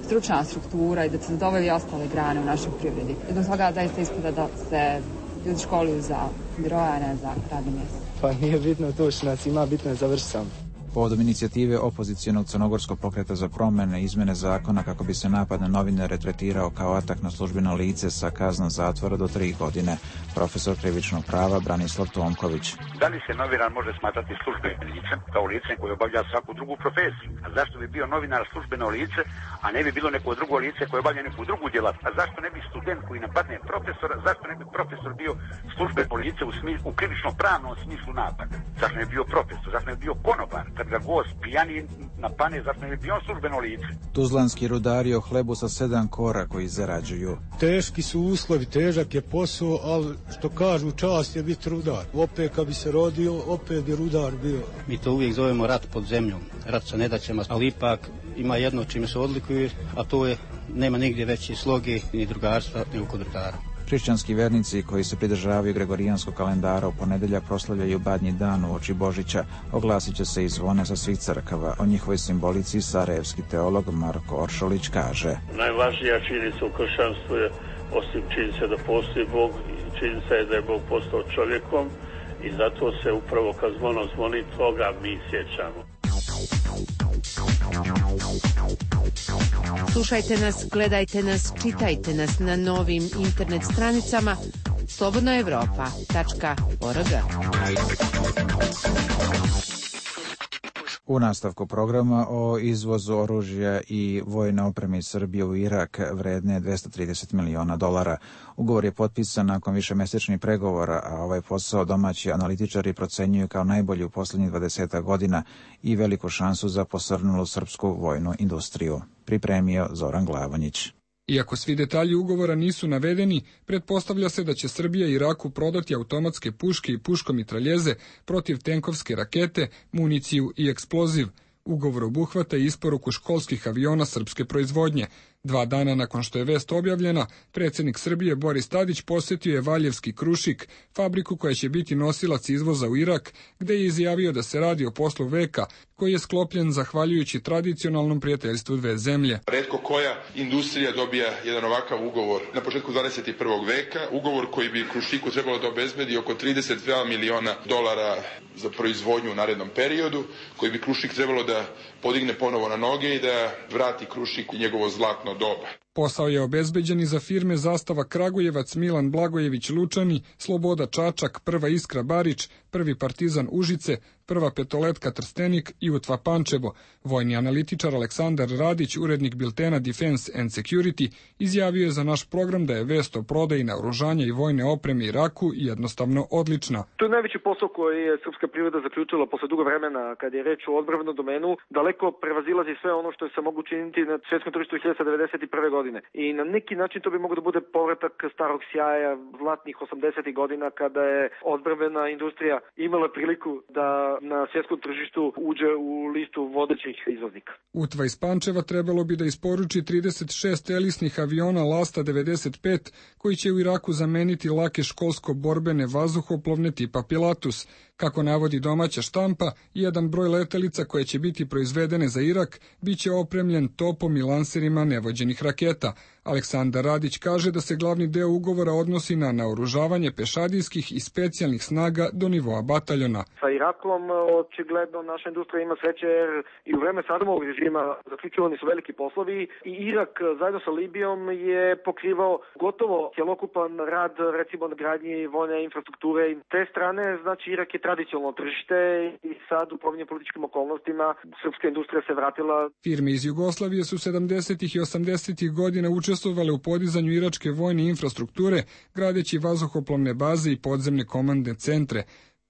stručna struktura i da se zadovolji ostale grane u našoj privredi. I do toga zaista ispada da se ljudi školuju za biroja, a ne za radno mjesto. Pa nije bitno to što nas ima, bitno je završiti sam. Povodom inicijative opozicijonog crnogorskog pokreta za promene izmene zakona kako bi se napad na novine retretirao kao atak na službeno lice sa kaznom zatvora do tri godine. Profesor krivičnog prava Branislav Tomković. Da li se novinar može smatrati službenim licem kao licem koje obavlja svaku drugu profesiju? A zašto bi bio novinar službeno lice, a ne bi bilo neko drugo lice koje obavlja neku drugu djelatnost? A zašto ne bi student koji napadne profesora, zašto ne bi profesor bio službeno lice u, smislu, u krivično pravnom smislu napada? Zašto ne bi bio profesor? Zašto ne bi bio konobar? Kad ga gost pijani napane, zašto ne bi bio službeno lice? Tuzlanski rudari o hlebu sa sedam kora koji zarađuju. Teški su uslovi, težak je posao, ali što kažu, čast je biti rudar. Opet kad bi se rodio, opet je rudar bio. Mi to uvijek zovemo rat pod zemljom, rat sa nedaćama, ali ipak ima jedno čime se odlikuje, a to je nema nigdje veće sloge ni drugarstva nego kod rudara. Hrišćanski vernici koji se pridržavaju gregorijanskog kalendara u ponedeljak proslavljaju Badnji dan uoči Božića. Oglasit će se i zvone sa svih crkava. O njihovoj simbolici sarajevski teolog Marko Oršolić kaže: Najvažnija činjenica u kršćanstvu je, osim činjenica da postoji Bog, činjenica je da je Bog postao čovjekom i zato se upravo kad zvono zvoni toga mi sjećamo. Slušajte nas, gledajte nas, čitajte nas na novim internet stranicama slobodna evropa tačka org. U nastavku programa o izvozu oružja i vojne opreme iz Srbije u Irak vredne dvesta trideset miliona dolara. Ugovor je potpisan nakon višemesečnih pregovora, a ovaj posao domaći analitičari procenjuju kao najbolji u poslednjih dvadeset godina i veliku šansu za posrnulu srpsku vojnu industriju. Pripremio Zoran Glavonjić. Iako svi detalji ugovora nisu navedeni, pretpostavlja se da će Srbija Iraku prodati automatske puške i puškomitraljeze, protivtenkovske rakete, municiju i eksploziv. Ugovor obuhvata i isporuku školskih aviona srpske proizvodnje. Dva dana nakon što je vest objavljena, predsjednik Srbije Boris Tadić posjetio je Valjevski Krušik, fabriku koja će biti nosilac izvoza u Irak, gde je izjavio da se radi o poslu veka, koji je sklopljen zahvaljujući tradicionalnom prijateljstvu dve zemlje. Retko koja industrija dobija jedan ovakav ugovor na početku dvadeset prvog veka, ugovor koji bi Krušiku trebalo da obezbedi oko trideset dva miliona dolara za proizvodnju u narednom periodu, koji bi Krušik trebalo da podigne ponovo na noge i da vrati Krušiku njegovo zlatno doba. Posao je obezbeđen i za firme Zastava Kragujevac, Milan Blagojević Lučani, Sloboda Čačak, Prva Iskra Barič, Prvi Partizan Užice, Prva Petoletka Trstenik i Utva Pančevo. Vojni analitičar Aleksandar Radić, urednik biltena Defense and Security, izjavio je za naš program da je vest o prodaji naoružanja i vojne opreme Iraku jednostavno odlična. To je najveći posao koji je srpska privreda zaključila posle dugo vremena kad je reč o odbrambenom domenu. Daleko prevazilazi sve ono što se mogu učiniti na svjetskom tržištu hiljade devetsto devedeset prve. godine. I na neki način to bi moglo da bude povratak starog sjaja zlatnih osamdesetih godina kada je odbrambena industrija imala priliku da na svjetskom tržištu uđe u listu vodećih izvoznika. Utva iz Pančeva trebalo bi da isporuči trideset šest elisnih aviona Lasta devedeset pet koji će u Iraku zameniti lake školsko-borbene vazduhoplovne tipa Pilatus. Kako navodi domaća štampa, jedan broj letelica koje će biti proizvedene za Irak biće opremljen topom i lanserima nevođenih raketa. Aleksandar Radić kaže da se glavni deo ugovora odnosi na naoružavanje pešadijskih i specijalnih snaga do nivoa bataljona. Sa Irakom očigledno naša industrija ima sreće jer i u vreme Sadamovog režima zaključivani su veliki poslovi i Irak zajedno sa Libijom je pokrivao gotovo cjelokupan rad recimo na gradnji vojne infrastrukture. I te strane znači Irak je tradicionalno tržište i sad u povoljnim političkim okolnostima srpska industrija se vratila. Firme iz Jugoslavije su sedamdesetih i osamdesetih godina učestvovale u podizanju iračke vojne infrastrukture, gradeći vazduhoplovne baze i podzemne komandne centre.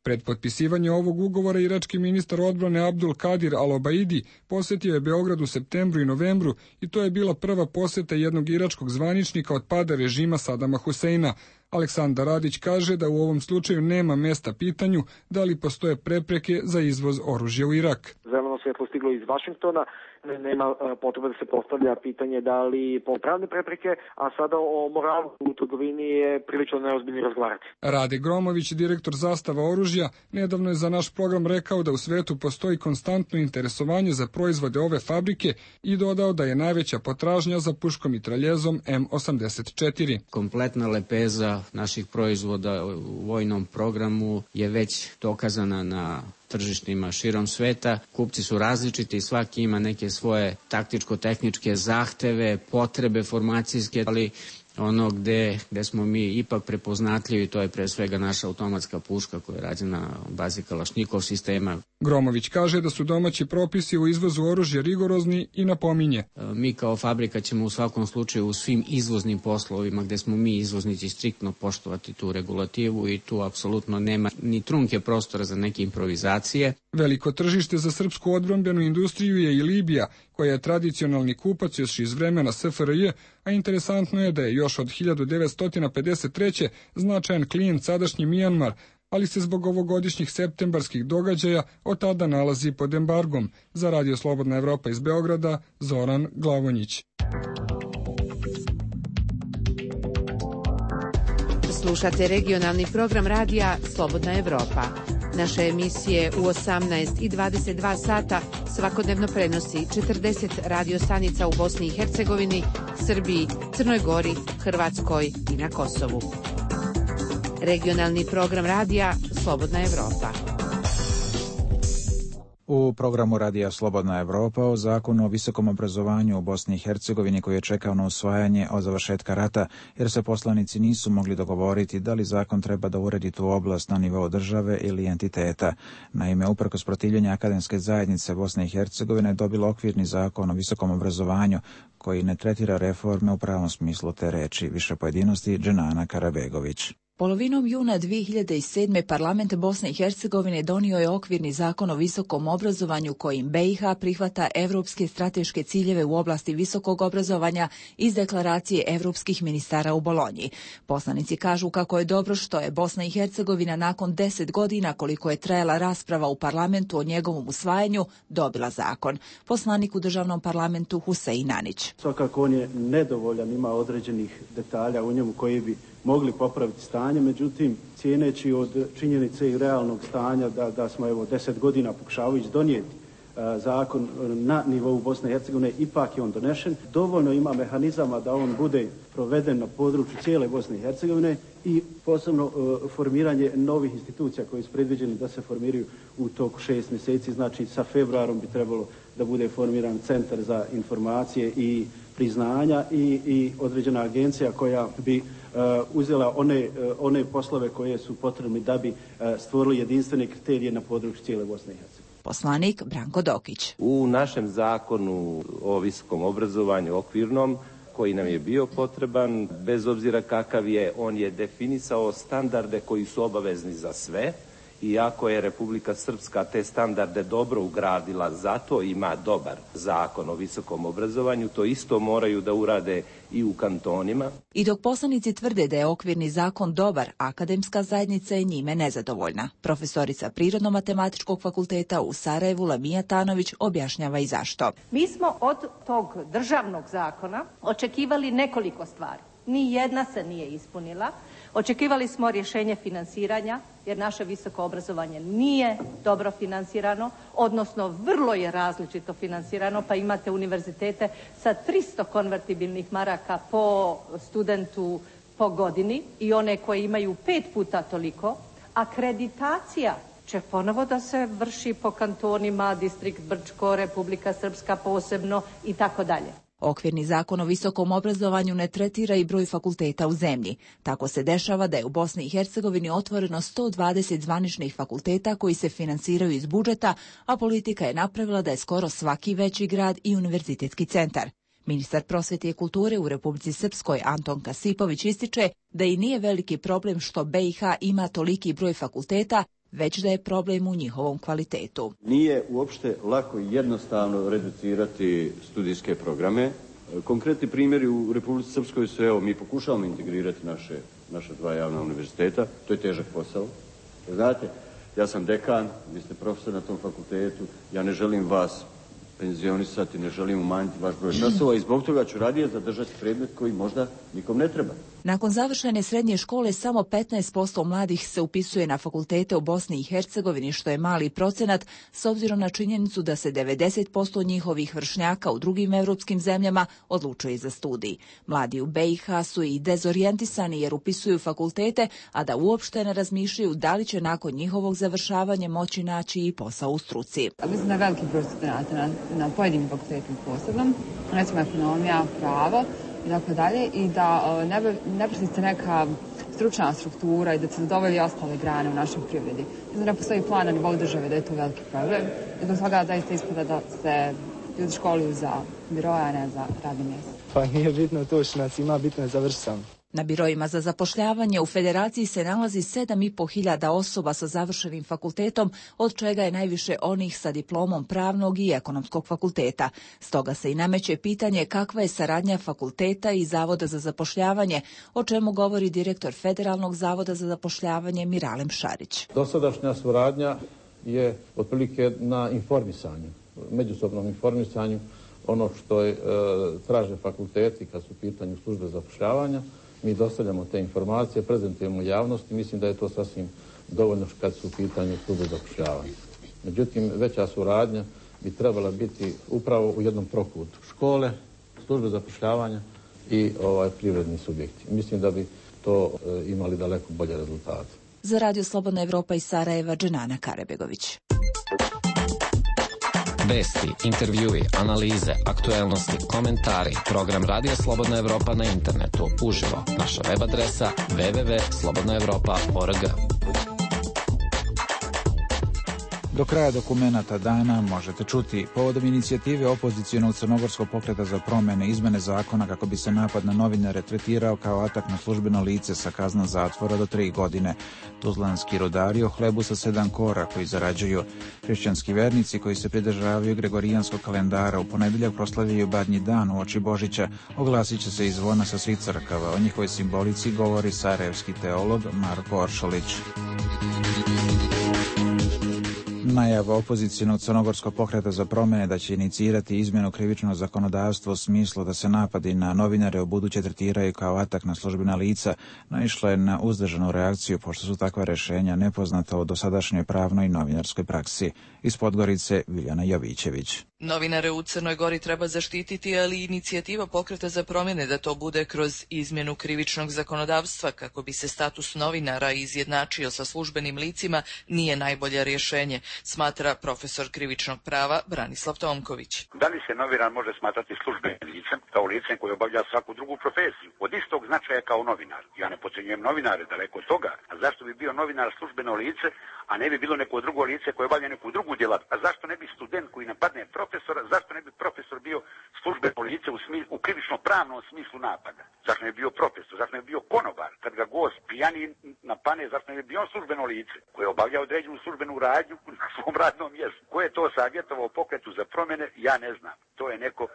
Pred potpisivanje ovog ugovora irački ministar odbrane Abdul Kadir Al-Obaidi posjetio je Beograd u septembru i novembru i to je bila prva posjeta jednog iračkog zvaničnika od pada režima Sadama Huseina. Aleksandar Radić kaže da u ovom slučaju nema mesta pitanju da li postoje prepreke za izvoz oružja u Irak. Zeleno svjetlo stiglo iz Vašingtona, nema potrebe da se postavlja pitanje da li pravne prepreke, a sada o moralu u trgovini je prilično neozbiljno razgovarati. Rade Gromović, direktor Zastava oružja, nedavno je za naš program rekao da u svetu postoji konstantno interesovanje za proizvode ove fabrike i dodao da je najveća potražnja za puškom i traljezom M osamdeset četiri. Kompletna lepeza naših proizvoda u vojnom programu je već dokazana na tržištima širom sveta. Kupci su različiti i svaki ima neke svoje taktičko-tehničke zahteve, potrebe formacijske, ali ono gde, gde smo mi ipak prepoznatljivi, to je pre svega naša automatska puška koja je rađena na bazi Kalašnikov sistema. Gromović kaže da su domaći propisi u izvozu oružja rigorozni i napominje. Mi kao fabrika ćemo u svakom slučaju u svim izvoznim poslovima gde smo mi izvoznici striktno poštovati tu regulativu i tu apsolutno nema ni trunke prostora za neke improvizacije. Veliko tržište za srpsku odbrambenu industriju je i Libija, koja je tradicionalni kupac još iz vremena S F R J, a interesantno je da je još od hiljadu devetsto pedeset treće značajan klijent sadašnji Mijanmar, ali se zbog ovogodišnjih septembarskih događaja od tada nalazi pod embargom. Za Radio Slobodna Evropa iz Beograda, Zoran Glavonjić. Slušate regionalni program radija Slobodna Evropa. Naše emisije u osamnaest i dvadeset dva sata svakodnevno prenosi četrdeset radio stanica u Bosni i Hercegovini, Srbiji, Crnoj Gori, Hrvatskoj i na Kosovu. Regionalni program radija Slobodna Evropa. U programu Radija Slobodna Evropa o zakonu o visokom obrazovanju u Bosni i Hercegovini koji je čekao na usvajanje od završetka rata, jer se poslanici nisu mogli dogovoriti da li zakon treba da uredi tu oblast na nivou države ili entiteta. Naime, uprkos protivljenja akademske zajednice Bosne i Hercegovine dobilo okvirni zakon o visokom obrazovanju koji ne tretira reforme u pravom smislu te reči. Više pojedinosti Dženana Karabegović. Polovinom juna dve hiljade sedme. parlament Bosne i Hercegovine donio je okvirni zakon o visokom obrazovanju kojim B i H prihvata evropske strateške ciljeve u oblasti visokog obrazovanja iz deklaracije evropskih ministara u Bolonji. Poslanici kažu kako je dobro što je Bosna i Hercegovina nakon deset godina koliko je trajala rasprava u parlamentu o njegovom usvajanju dobila zakon. Poslanik u državnom parlamentu Husein Anić. Svakako on je nedovoljan, ima određenih detalja u njemu koji bi mogli popraviti stanje, međutim, cijeneći od činjenice i realnog stanja da, da smo evo deset godina pokušavajući donijeti a, zakon na nivou Bosne i Hercegovine, ipak je on donešen. Dovoljno ima mehanizama da on bude proveden na području cijele Bosne i Hercegovine i posebno a, formiranje novih institucija koji su predviđeni da se formiraju u toku šest mjeseci, znači sa februarom bi trebalo da bude formiran centar za informacije i priznanja i, i određena agencija koja bi Uh, uzela one, uh, one poslove koje su potrebni da bi uh, stvorili jedinstvene kriterije na području cijele Bosne i Hercegovine. Poslanik Branko Dokić. U našem zakonu o visokom obrazovanju okvirnom koji nam je bio potreban, bez obzira kakav je, on je definisao standarde koji su obavezni za sve. Iako je Republika Srpska te standarde dobro ugradila, zato ima dobar zakon o visokom obrazovanju, to isto moraju da urade i u kantonima. I dok poslanici tvrde da je okvirni zakon dobar, akademska zajednica je njime nezadovoljna. Profesorica Prirodno-matematičkog fakulteta u Sarajevu Lamija Tanović objašnjava i zašto. Mi smo od tog državnog zakona očekivali nekoliko stvari. Ni jedna se nije ispunila. Očekivali smo rješenje finansiranja, jer naše visoko obrazovanje nije dobro finansirano, odnosno vrlo je različito finansirano, pa imate univerzitete sa tristo konvertibilnih maraka po studentu po godini i one koje imaju pet puta toliko. Akreditacija će ponovo da se vrši po kantonima, distrikt Brčko, Republika Srpska posebno i tako dalje. Okvirni zakon o visokom obrazovanju ne tretira i broj fakulteta u zemlji. Tako se dešava da je u Bosni i Hercegovini otvoreno sto dvadeset zvaničnih fakulteta koji se finansiraju iz budžeta, a politika je napravila da je skoro svaki veći grad i univerzitetski centar. Ministar prosvete i kulture u Republici Srpskoj Anton Kasipović ističe da i nije veliki problem što B i H ima toliki broj fakulteta, već da je problem u njihovom kvalitetu. Nije uopšte lako i jednostavno reducirati studijske programe. Konkretni primjeri u Republici Srpskoj su, evo, mi pokušavamo integrirati naše, naše dva javna univerziteta, to je težak posao. Znate, ja sam dekan, vi ste profesor na tom fakultetu, ja ne želim vas penzionisati, ne želim umanjiti vaš broj časova i zbog toga ću radije zadržati predmet koji možda nikom ne treba. Nakon završene srednje škole samo petnaest posto mladih se upisuje na fakultete u Bosni i Hercegovini, što je mali procenat s obzirom na činjenicu da se devedeset posto njihovih vršnjaka u drugim evropskim zemljama odlučuje za studij. Mladi u B i H su i dezorijentisani jer upisuju fakultete, a da uopšte ne razmišljaju da li će nakon njihovog završavanja moći naći i posao u struci. Mislim da je veliki broj studenata na, na pojedinim fakultetima posebno, recimo ekonomija, pravo i tako dalje, i da ne, ne prati se neka stručna struktura i da se zadovolji ostale grane u našoj privredi. Mislim da ne postoji plan na nivou države da je to veliki problem i zbog toga zaista ispada da se ljudi školuju za biroja, a ne za radno mjesto. Pa nije bitno to što nas ima, bitno je završiti sam. Na birojima za zapošljavanje u Federaciji se nalazi sedam i po hiljada osoba sa završenim fakultetom, od čega je najviše onih sa diplomom pravnog i ekonomskog fakulteta. Stoga se i nameće pitanje kakva je saradnja fakulteta i Zavoda za zapošljavanje, o čemu govori direktor Federalnog zavoda za zapošljavanje Miralem Šarić. Dosadašnja suradnja je otprilike na informisanju, međusobnom informisanju, ono što je, e, traže fakulteti kad su u pitanju službe zapošljavanja. Mi dostavljamo te informacije, prezentujemo javnosti, mislim da je to sasvim dovoljno kad su u pitanju službe zapošljavanja. Međutim, veća suradnja bi trebala biti upravo u jednom trokutu. Škole, službe zapošljavanja i ovaj, privredni subjekti. Mislim da bi to e, imali daleko bolje rezultate. Za Radio Slobodna Evropa iz Sarajeva, Dženana Karebegović. Vesti, intervjui, analize, aktuelnosti, komentari, program Radija Slobodna Evropa na internetu, uživo, naša web adresa w w w tačka slobodna evropa tačka org. Do kraja dokumenata dana možete čuti povodom inicijative opozicijonog Crnogorskog pokreta za promene izmene zakona kako bi se napad na novinare tretirao kao atak na službeno lice sa kaznom zatvora do tri godine. Tuzlanski rudari o hlebu sa sedam kora koji zarađuju. Hrišćanski vernici koji se pridržavaju gregorijanskog kalendara u ponedeljak proslavljaju Badnji dan u oči Božića. Oglasit će se i zvona sa svih crkava. O njihovoj simbolici govori sarajevski teolog Marko Oršolić. Najava opozicijonog Crnogorskog pokreta za promene da će inicirati izmjenu krivičnog zakonodavstva u smislu da se napadi na novinare ubuduće tretiraju kao atak na službena lica naišla je na uzdržanu reakciju pošto su takva rješenja nepoznata u dosadašnjoj pravnoj i novinarskoj praksi. Iz Podgorice Viljana Jovićević. Novinare u Crnoj Gori treba zaštititi, ali inicijativa pokreta za promjene da to bude kroz izmjenu krivičnog zakonodavstva kako bi se status novinara izjednačio sa službenim licima nije najbolje rješenje, smatra profesor krivičnog prava Branislav Tomković. Da li se novinar može smatrati službenim licem kao licem koji obavlja svaku drugu profesiju od istog značaja kao novinar? Ja ne podcjenjujem novinare, daleko od toga. A zašto bi bio novinar službeno lice, a ne bi bilo neko drugo lice koje obavlja neku drugu djelatnost? A zašto ne bi student koji napadne profesora, zašto ne bi profesor bio službeno lice u, smislu, u krivično-pravnom smislu napada? Zašto ne bi bio profesor? Zašto ne bi bio konobar? Kad ga gost pijani napane, zašto ne bi bio službeno lice koje obavlja određenu službenu radnju na svom radnom mjestu? Ko je to savjetovao pokretu za promjene? Ja ne znam. To je neko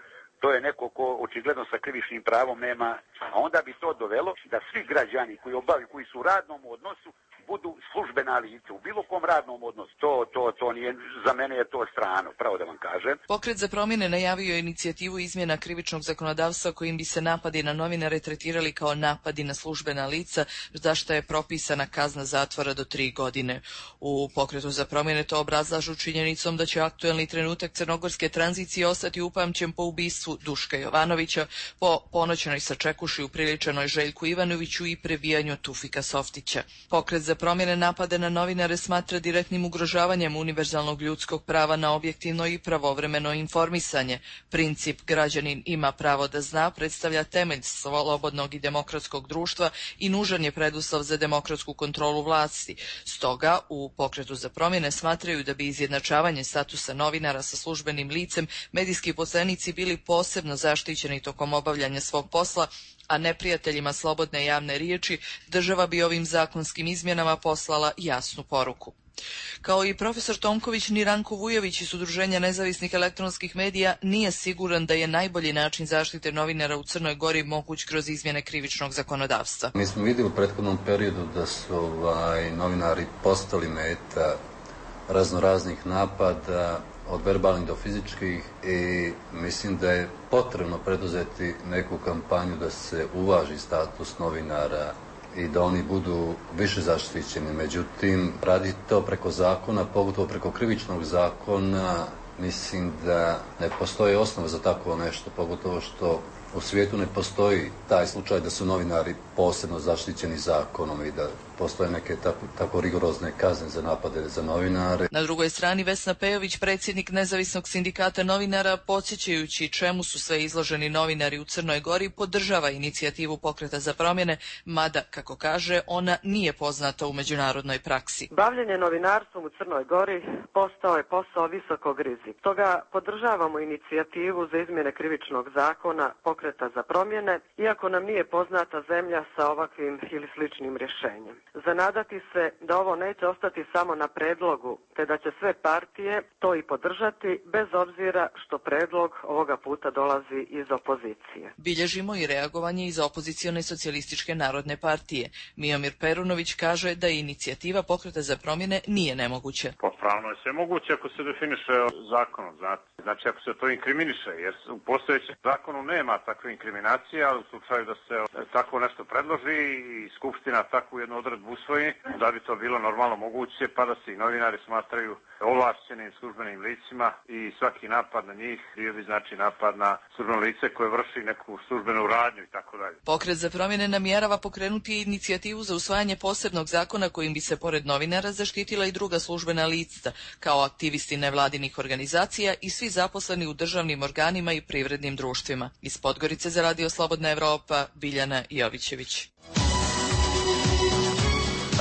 To je neko ko očigledno sa krivičnim pravom nema, a onda bi to dovelo da svi građani koji obavljaju, koji su u radnom odnosu, budu službena lica u bilo kom radnom odnosu. To, to, to nije, za mene je to strano, pravo da vam kažem. Pokret za promjene najavio je inicijativu izmjena krivičnog zakonodavstva kojim bi se napadi na novinare tretirali kao napadi na službena lica, za što je propisana kazna zatvora do tri godine. U pokretu za promjene to obrazlažu činjenicom da će aktuelni trenutak crnogorske tranzicije ostati upamćen po ubistvu Duška Jovanovića, po ponoćnoj sačekuši upriličenoj Željku Ivanoviću i prebijanju Tufika Softića. Pokret za promjene napade na novinare smatra direktnim ugrožavanjem univerzalnog ljudskog prava na objektivno i pravovremeno informisanje. Princip građanin ima pravo da zna predstavlja temelj slobodnog i demokratskog društva i nužan je preduslov za demokratsku kontrolu vlasti. Stoga, u pokretu za promjene smatraju da bi izjednačavanje statusa novinara sa službenim licem medijski poslenici bili posebno zaštićeni tokom obavljanja svog posla, a neprijateljima slobodne javne riječi država bi ovim zakonskim izmjenama poslala jasnu poruku. Kao i profesor Tomković, ni Ranko Vujović iz Udruženja nezavisnih elektronskih medija nije siguran da je najbolji način zaštite novinara u Crnoj Gori moguć kroz izmjene krivičnog zakonodavstva. Mi smo vidjeli u prethodnom periodu da su ovaj, novinari postali meta razno raznih napada, od verbalnih do fizičkih, i mislim da je potrebno preduzeti neku kampanju da se uvaži status novinara i da oni budu više zaštićeni. Međutim, raditi to preko zakona, pogotovo preko krivičnog zakona, mislim da ne postoji osnova za tako nešto, pogotovo što u svijetu ne postoji taj slučaj da su novinari posebno zaštićeni zakonom i da postoje neke tako, tako rigorozne kazne za napade za novinare. Na drugoj strani Vesna Pejović, predsjednik Nezavisnog sindikata novinara, podsjećajući čemu su sve izloženi novinari u Crnoj Gori, podržava inicijativu Pokreta za promjene, mada, kako kaže, ona nije poznata u međunarodnoj praksi. Bavljenje novinarstvom u Crnoj Gori postao je posao visokog rizika. Stoga podržavamo inicijativu za izmjene krivičnog zakona Pokreta za promjene, iako nam nije poznata zemlja sa ovakvim ili sličnim rješenjem. Zanadati se da ovo neće ostati samo na predlogu, te da će sve partije to i podržati, bez obzira što predlog ovoga puta dolazi iz opozicije. Bilježimo i reagovanje iz opozicione socijalističke narodne partije. Mijomir Perunović kaže da inicijativa Pokreta za promjene nije nemoguće. Pa pravno je sve moguće ako se definiše zakonom, znate. Znači ako se to inkriminiše, jer u postojećem zakonu nema takve inkriminacije, ali u slučaju da se tako nešto predloži i Skupština takvu jednu odredbu usvoji, da bi to bilo normalno moguće, pa da se i novinari smatraju ovlašćenim službenim licima i svaki napad na njih bio bi znači napad na službeno lice koje vrši neku službenu radnju i tako dalje. Pokret za promjene namjerava pokrenuti inicijativu za usvajanje posebnog zakona kojim bi se pored novinara zaštitila i druga službena lica, kao aktivisti nevladinih organizacija i svi zaposleni u državnim organima i privrednim društvima. Iz Podgorice za Radio Slobodna Evropa, Biljana Jovićević.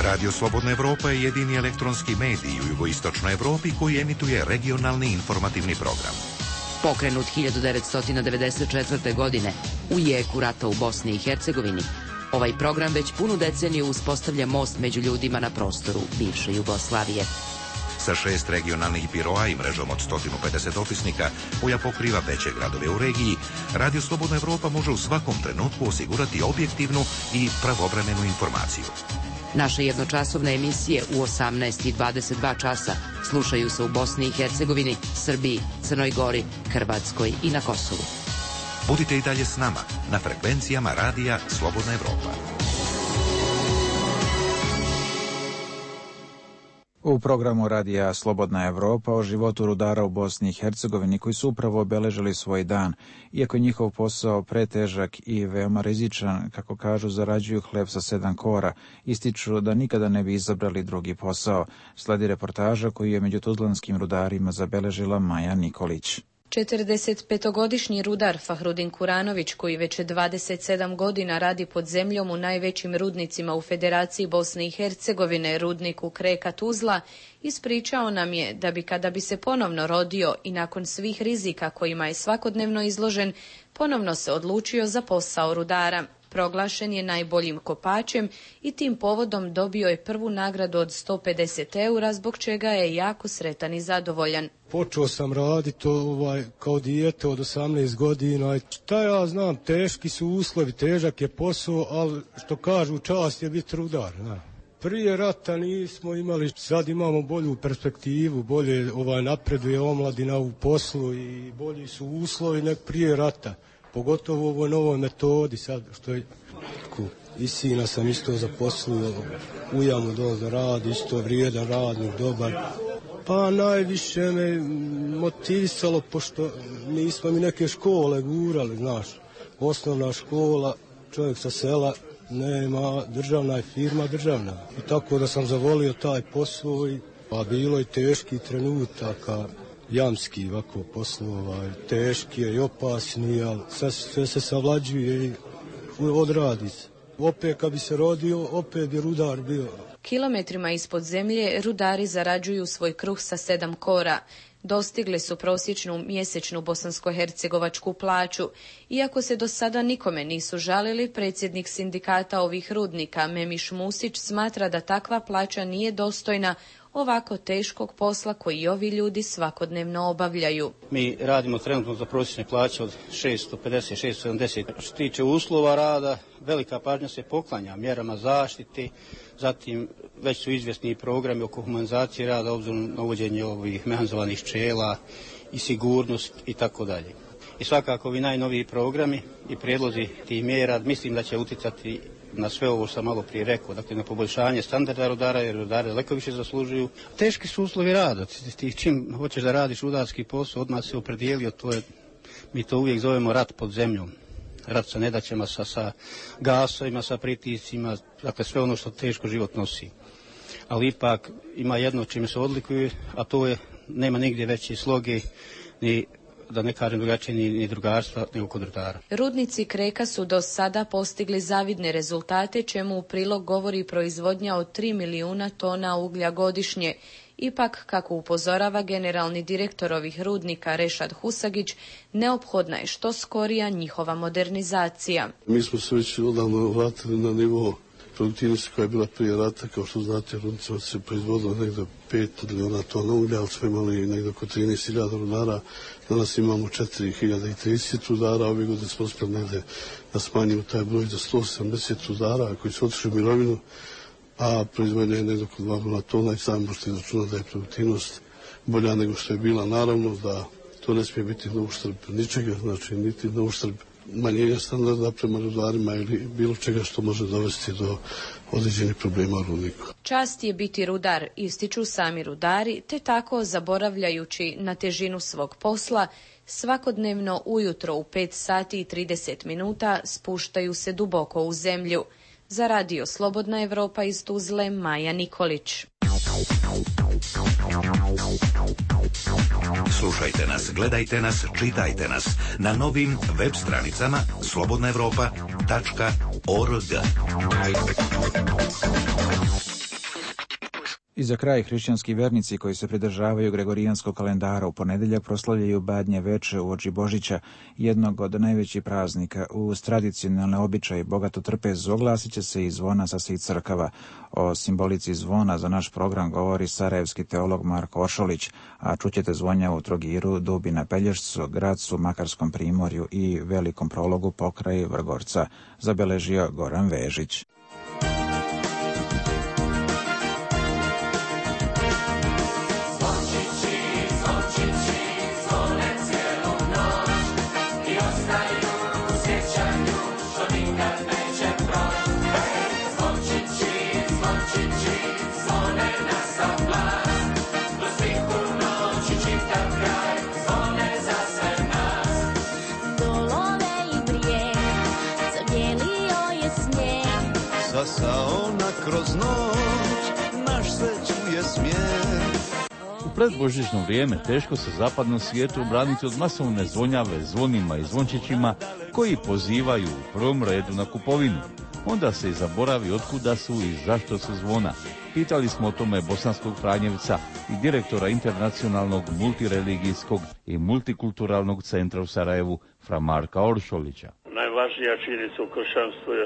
Radio Slobodna Evropa je jedini elektronski medij u jugoistočnoj Evropi koji emituje regionalni informativni program. Pokrenut hiljadu devetsto devedeset četvrte. godine u jeku rata u Bosni i Hercegovini, ovaj program već punu deceniju uspostavlja most među ljudima na prostoru bivše Jugoslavije. Sa šest regionalnih biroa i mrežom od sto pedeset opisnika koja pokriva veće gradove u regiji, Radio Slobodna Evropa može u svakom trenutku osigurati objektivnu i pravovremenu informaciju. Naše jednočasovne emisije u osamnaest i dvadeset dva časa slušaju se u Bosni i Hercegovini, Srbiji, Crnoj Gori, Hrvatskoj i na Kosovu. Budite i dalje s nama na frekvencijama Radija Slobodna Evropa. U programu Radija Slobodna Evropa o životu rudara u Bosni i Hercegovini koji su upravo obeležili svoj dan. Iako je njihov posao pretežak i veoma rizičan, kako kažu, zarađuju hleb sa sedam kora, ističu da nikada ne bi izabrali drugi posao. Sledi reportaža koju je među tuzlanskim rudarima zabeležila Maja Nikolić. četrdesetpetogodišnji rudar Fahrudin Kuranović, koji već dvadeset sedam godina radi pod zemljom u najvećim rudnicima u Federaciji Bosne i Hercegovine, rudniku Kreka Tuzla, ispričao nam je da bi kada bi se ponovno rodio i nakon svih rizika kojima je svakodnevno izložen, ponovno se odlučio za posao rudara. Proglašen je najboljim kopačem i tim povodom dobio je prvu nagradu od sto pedeset eura, zbog čega je jako sretan i zadovoljan. Počeo sam raditi ovaj, kao dijete od osamnaest godina. Šta ja znam, teški su uslovi, težak je posao, ali što kažu, čast je biti rudar. Da. Prije rata nismo imali, sad imamo bolju perspektivu, bolje ovaj, napreduje omladina u poslu i bolji su uslovi nek prije rata. Pogotovo u ovoj novoj metodi sad, što je i sina sam isto zaposlio u jamu dole da radi, isto vrijedan radnik, dobar. Pa najviše me motivisalo, pošto nismo mi neke škole gurali, znaš, osnovna škola, čovjek sa sela, nema, državna je firma, državna. I tako da sam zavolio taj posao, i, pa bilo je teški trenutaka, jamski ovako poslova, teški je i opasni, ali sve, sve se savlađuje i odradi se. Opet kad bi se rodio, opet bi rudar bio. Kilometrima ispod zemlje rudari zarađuju svoj kruh sa sedam kora. Dostigli su prosječnu mjesečnu bosansko-hercegovačku plaću. Iako se do sada nikome nisu žalili, predsjednik sindikata ovih rudnika, Memiš Musić, smatra da takva plaća nije dostojna ovako teškog posla koji ovi ljudi svakodnevno obavljaju. Mi radimo trenutno za prosječne plaće od šessto pedeset do šessto sedamdeset. Što se tiče uslova rada, velika pažnja se poklanja mjerama zaštite, zatim već su izvjesni programi oko humanizacije rada obzirom na uvođenje ovih mehanizovanih pčela i sigurnost i tako dalje. I svakako ovi najnoviji programi i prijedlozi tih mjera mislim da će utjecati na sve ovo što sam malo prije rekao, dakle na poboljšanje standarda rudara, jer rudari daleko više zaslužuju. Teški su uslovi rada, ti čim hoćeš da radiš rudarski posao, odmah se opredijelio, to je, mi to uvijek zovemo rat pod zemljom. Rat sa nedaćama, sa, sa gasovima, sa pritiscima, dakle sve ono što teško život nosi. Ali ipak ima jedno čime se odlikuju, a to je nema nigdje veće sloge, ni da ne kažem drugačije, ni, ni drugarstva, nego kod rudara. Rudnici Kreka su do sada postigli zavidne rezultate, čemu u prilog govori proizvodnja od tri milijuna tona uglja godišnje. Ipak, kako upozorava generalni direktor ovih rudnika Rešad Husagić, neophodna je što skorija njihova modernizacija. Mi smo se već odavno vratili na nivo produktivnosti koja je bila prije rata. Kao što znate, rudnicima se proizvodilo negdje pet miliona tona uglja, ali smo imali negdje oko trinaest hiljada rudara. Danas imamo četiri hiljade trideset rudara, ove godine smo uspjeli negdje da smanjimo taj broj za sto sedamdeset rudara koji su otišli u mirovinu, a proizvodnja je negdje oko dva miliona tona i sami možete izračunati da je produktivnost bolja nego što je bila. Naravno da to ne smije biti na uštrb ničega, znači niti na uštrb manjenja standarda prema rudarima ili bilo čega što može dovesti do određenih problema u rudniku. Čast je biti rudar, ističu sami rudari, te tako zaboravljajući na težinu svog posla, svakodnevno ujutro u pet sati i trideset minuta spuštaju se duboko u zemlju. Za Radio Slobodna Evropa iz Tuzle, Maja Nikolić. Slušajte nas, gledajte nas, čitajte nas na novim web stranicama slobodna evropa tačka org. I za kraj, hrišćanski vernici koji se pridržavaju gregorijanskog kalendara u ponedjeljak proslavljaju Badnje veče uoči Božića, jednog od najvećih praznika. Uz tradicionalne običaje i bogatu trpezu oglasit će se i zvona sa svih crkava. O simbolici zvona za naš program govori sarajevski teolog Marko Ošolić, a čućete zvonja u Trogiru, Dubi na Pelješcu, Gracu, Makarskom primorju i Velikom Prologu pokraj Vrgorca, zabeležio Goran Vežić. Kroz noć naš se čuje smijeh. U predbožićno vrijeme teško se zapadnom svijetu obraniti od masovne zvonjave zvonima i zvončićima koji pozivaju u prvom redu na kupovinu. Onda se i zaboravi otkuda su i zašto su zvona. Pitali smo o tome bosanskog Franjevca i direktora internacionalnog multireligijskog i multikulturalnog centra u Sarajevu, fra Marka Oršolića. Najvažnija činjenica u kršćanstvu je,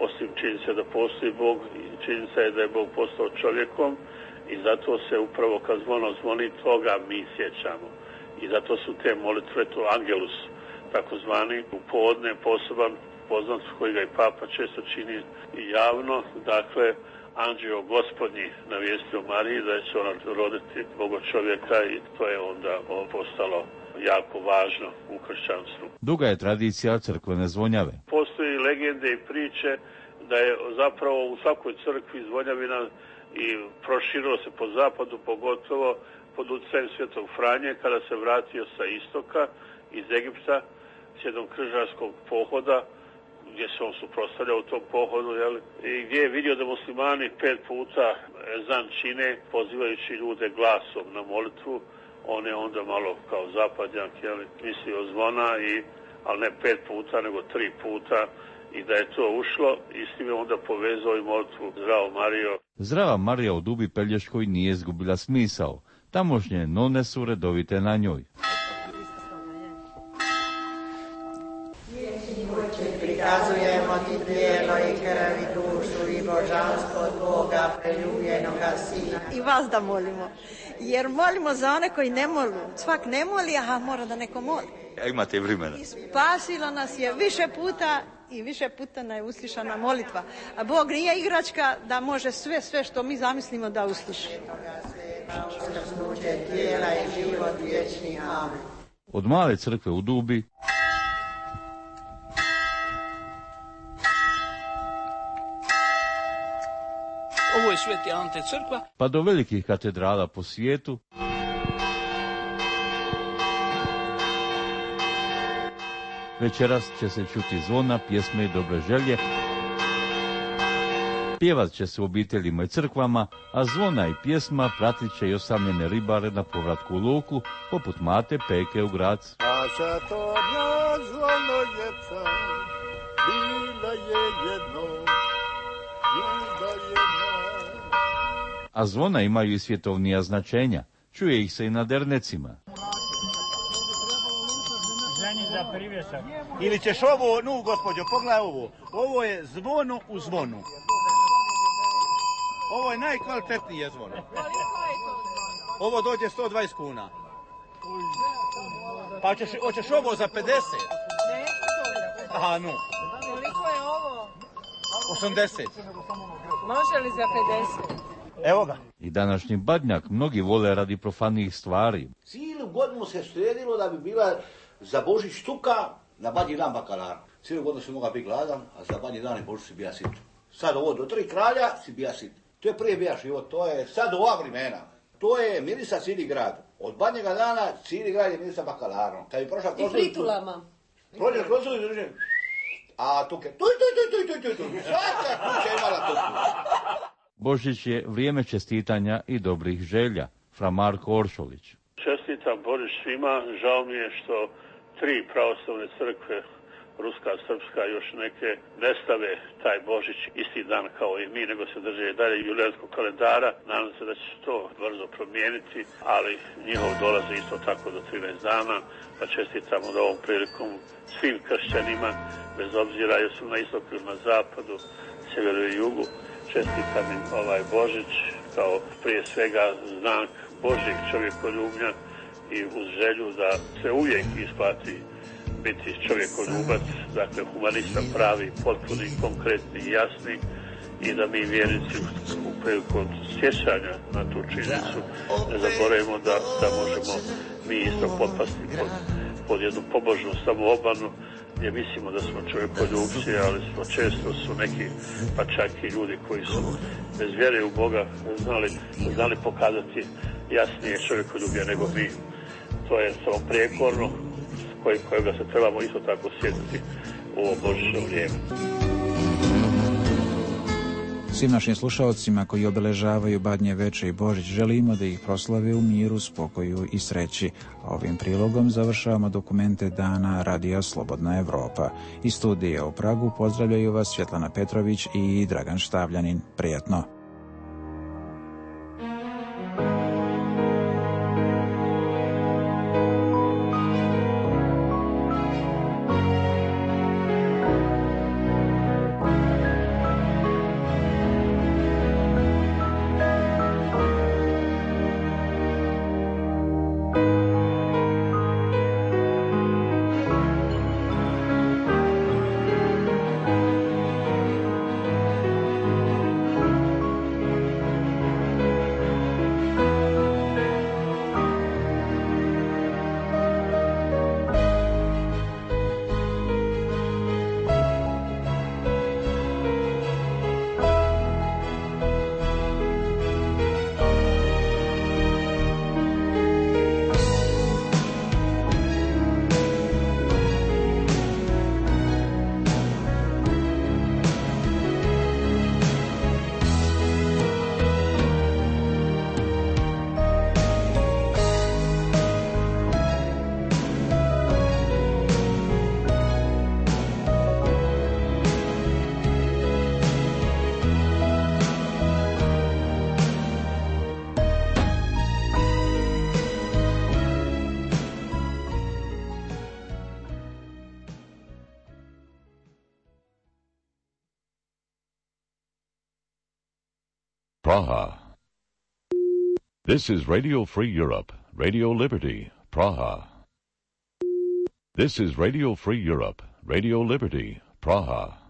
osim činjenica da postoji Bog, činjenica je da je Bog postao čovjekom i zato se upravo kad zvono zvoni toga mi sjećamo. I zato su te molitve, to Angelus, takozvani, u podne poseban poznat koji ga i Papa često čini i javno, dakle, Anđeo Gospodnji navijestio Mariji da će ona roditi Boga čovjeka i to je onda postalo jako važno u kršćanstvu. Duga je tradicija crkvene zvonjave. Postoji legende i priče da je zapravo u svakoj crkvi zvonjavina i proširilo se po zapadu, pogotovo pod utjecajem Svetog Franje kada se vratio sa istoka iz Egipta slijedom križarskog pohoda, gdje se on suprotstavljao u tom pohodu, jel? I gdje je vidio da muslimani pet puta ezan čine, pozivajući ljude glasom na molitvu. On je onda malo kao zapadnjak, jel, mislio zvona, i, ali ne pet puta, nego tri puta, i da je to ušlo i s tim je onda povezao i molitvu Zdravo Marijo. Zdrava Marija u Dubi Pelješkoj nije izgubila smisao. Tamošnje none su redovite na njoj. Prikazujemo ti tijelo i krv i dušu i božanstvo Tvoga preljubljenog tvoga sina. I vas da molimo. Jer molimo za one koji ne molu. Svak ne moli, a mora da neko moli. Ja, imate vremena. I spasilo nas je više puta i više puta na je uslišana molitva. A Bog nije igračka da može sve, sve što mi zamislimo da usliši. Od male crkve u Dubi ovo je Sveti Ante crkva, pa do velikih katedrala po svijetu, večeras će se čuti zvona, pjesme i dobre želje. Pjevat će se u obiteljima i crkvama, a zvona i pjesma pratit će i osamljene ribare na povratku u luku, poput Mate Peke u Grac. A za to dnja zvono jeca, bila je jedno, ljubav jedna. A zvona imaju i svjetovnija značenja. Čuje ih se i na dernecima. Za privjesak. Ili ćeš ovo, nu gospođo, pogledaj ovo. Ovo je zvono u zvonu. Ovo je najkvalitetnije zvono. Ovo dođe sto dvadeset kuna. Pa hoćeš, hoćeš ovo za pedeset? Aha, nu. Koliko je ovo? osamdeset. Može li za pedeset? Evo ga. I današnji Badnjak mnogi vole radi profanih stvari. Cijelu godinu se sredilo da bi bila za Božić štuka, na Badnji dan bakalar. Cijelu godinu si mogao biti gladan, a za Badnji dan i Božić si bija sit. Sad ovo do tri kralja si bija sit. To je prije bija život, to je sad ova vremena. To je mirisa cijeli grad. Od Badnjega dana cijeli grad je mirisa bakalarom. Kad je prošla I fritulama. Prođeš kroz i držim. A tuke, tuj, tuj, tuj, tuj, tuj, tuj, tuj. Svaka kuća imala tuku. Božić je vrijeme čestitanja i dobrih želja. Fra Marko Oršolić. Čestitam Božić svima, žao mi je što tri pravoslavne crkve, ruska, srpska i još neke, ne stave taj Božić isti dan kao i mi, nego se drže i dalje julijanskog kalendara. Nadam se da će to brzo promijeniti, ali njihov dolaze isto tako do trinaest dana, pa čestitamo da ovom prilikom svim kršćanima, bez obzira jesu na istoku ili na zapadu, sjeveru i jugu, čestitam im ovaj Božić kao prije svega znak Božjeg čovjekoljublja i uz želju da se uvijek isplati biti čovjekoljubac, dakle humanista pravi, potpuni, konkretni i jasni i da mi vjernici u priliku od sjećanja na tu činjenicu ne zaboravimo da, da možemo mi isto potpasti pod, pod jednu pobožnu samoobranu gdje mislimo da smo čovjekoljubci, ali smo često su neki, pa čak i ljudi koji su bez vjere u Boga znali, znali pokazati jasnije čovjekoljublje nego mi. To je samo prijekorno, koji, kojega se trebamo isto tako sjetiti u ovo božićno vrijeme. Svim našim slušalcima koji obeležavaju Badnje veče i Božić želimo da ih proslave u miru, spokoju i sreći. A ovim prilogom završavamo dokumente dana Radija Slobodna Evropa. Iz studija u Pragu pozdravljaju vas Svjetlana Petrović i Dragan Štavljanin. Prijatno. Praha This is Radio Free Europe, Radio Liberty, Praha. This is Radio Free Europe, Radio Liberty, Praha.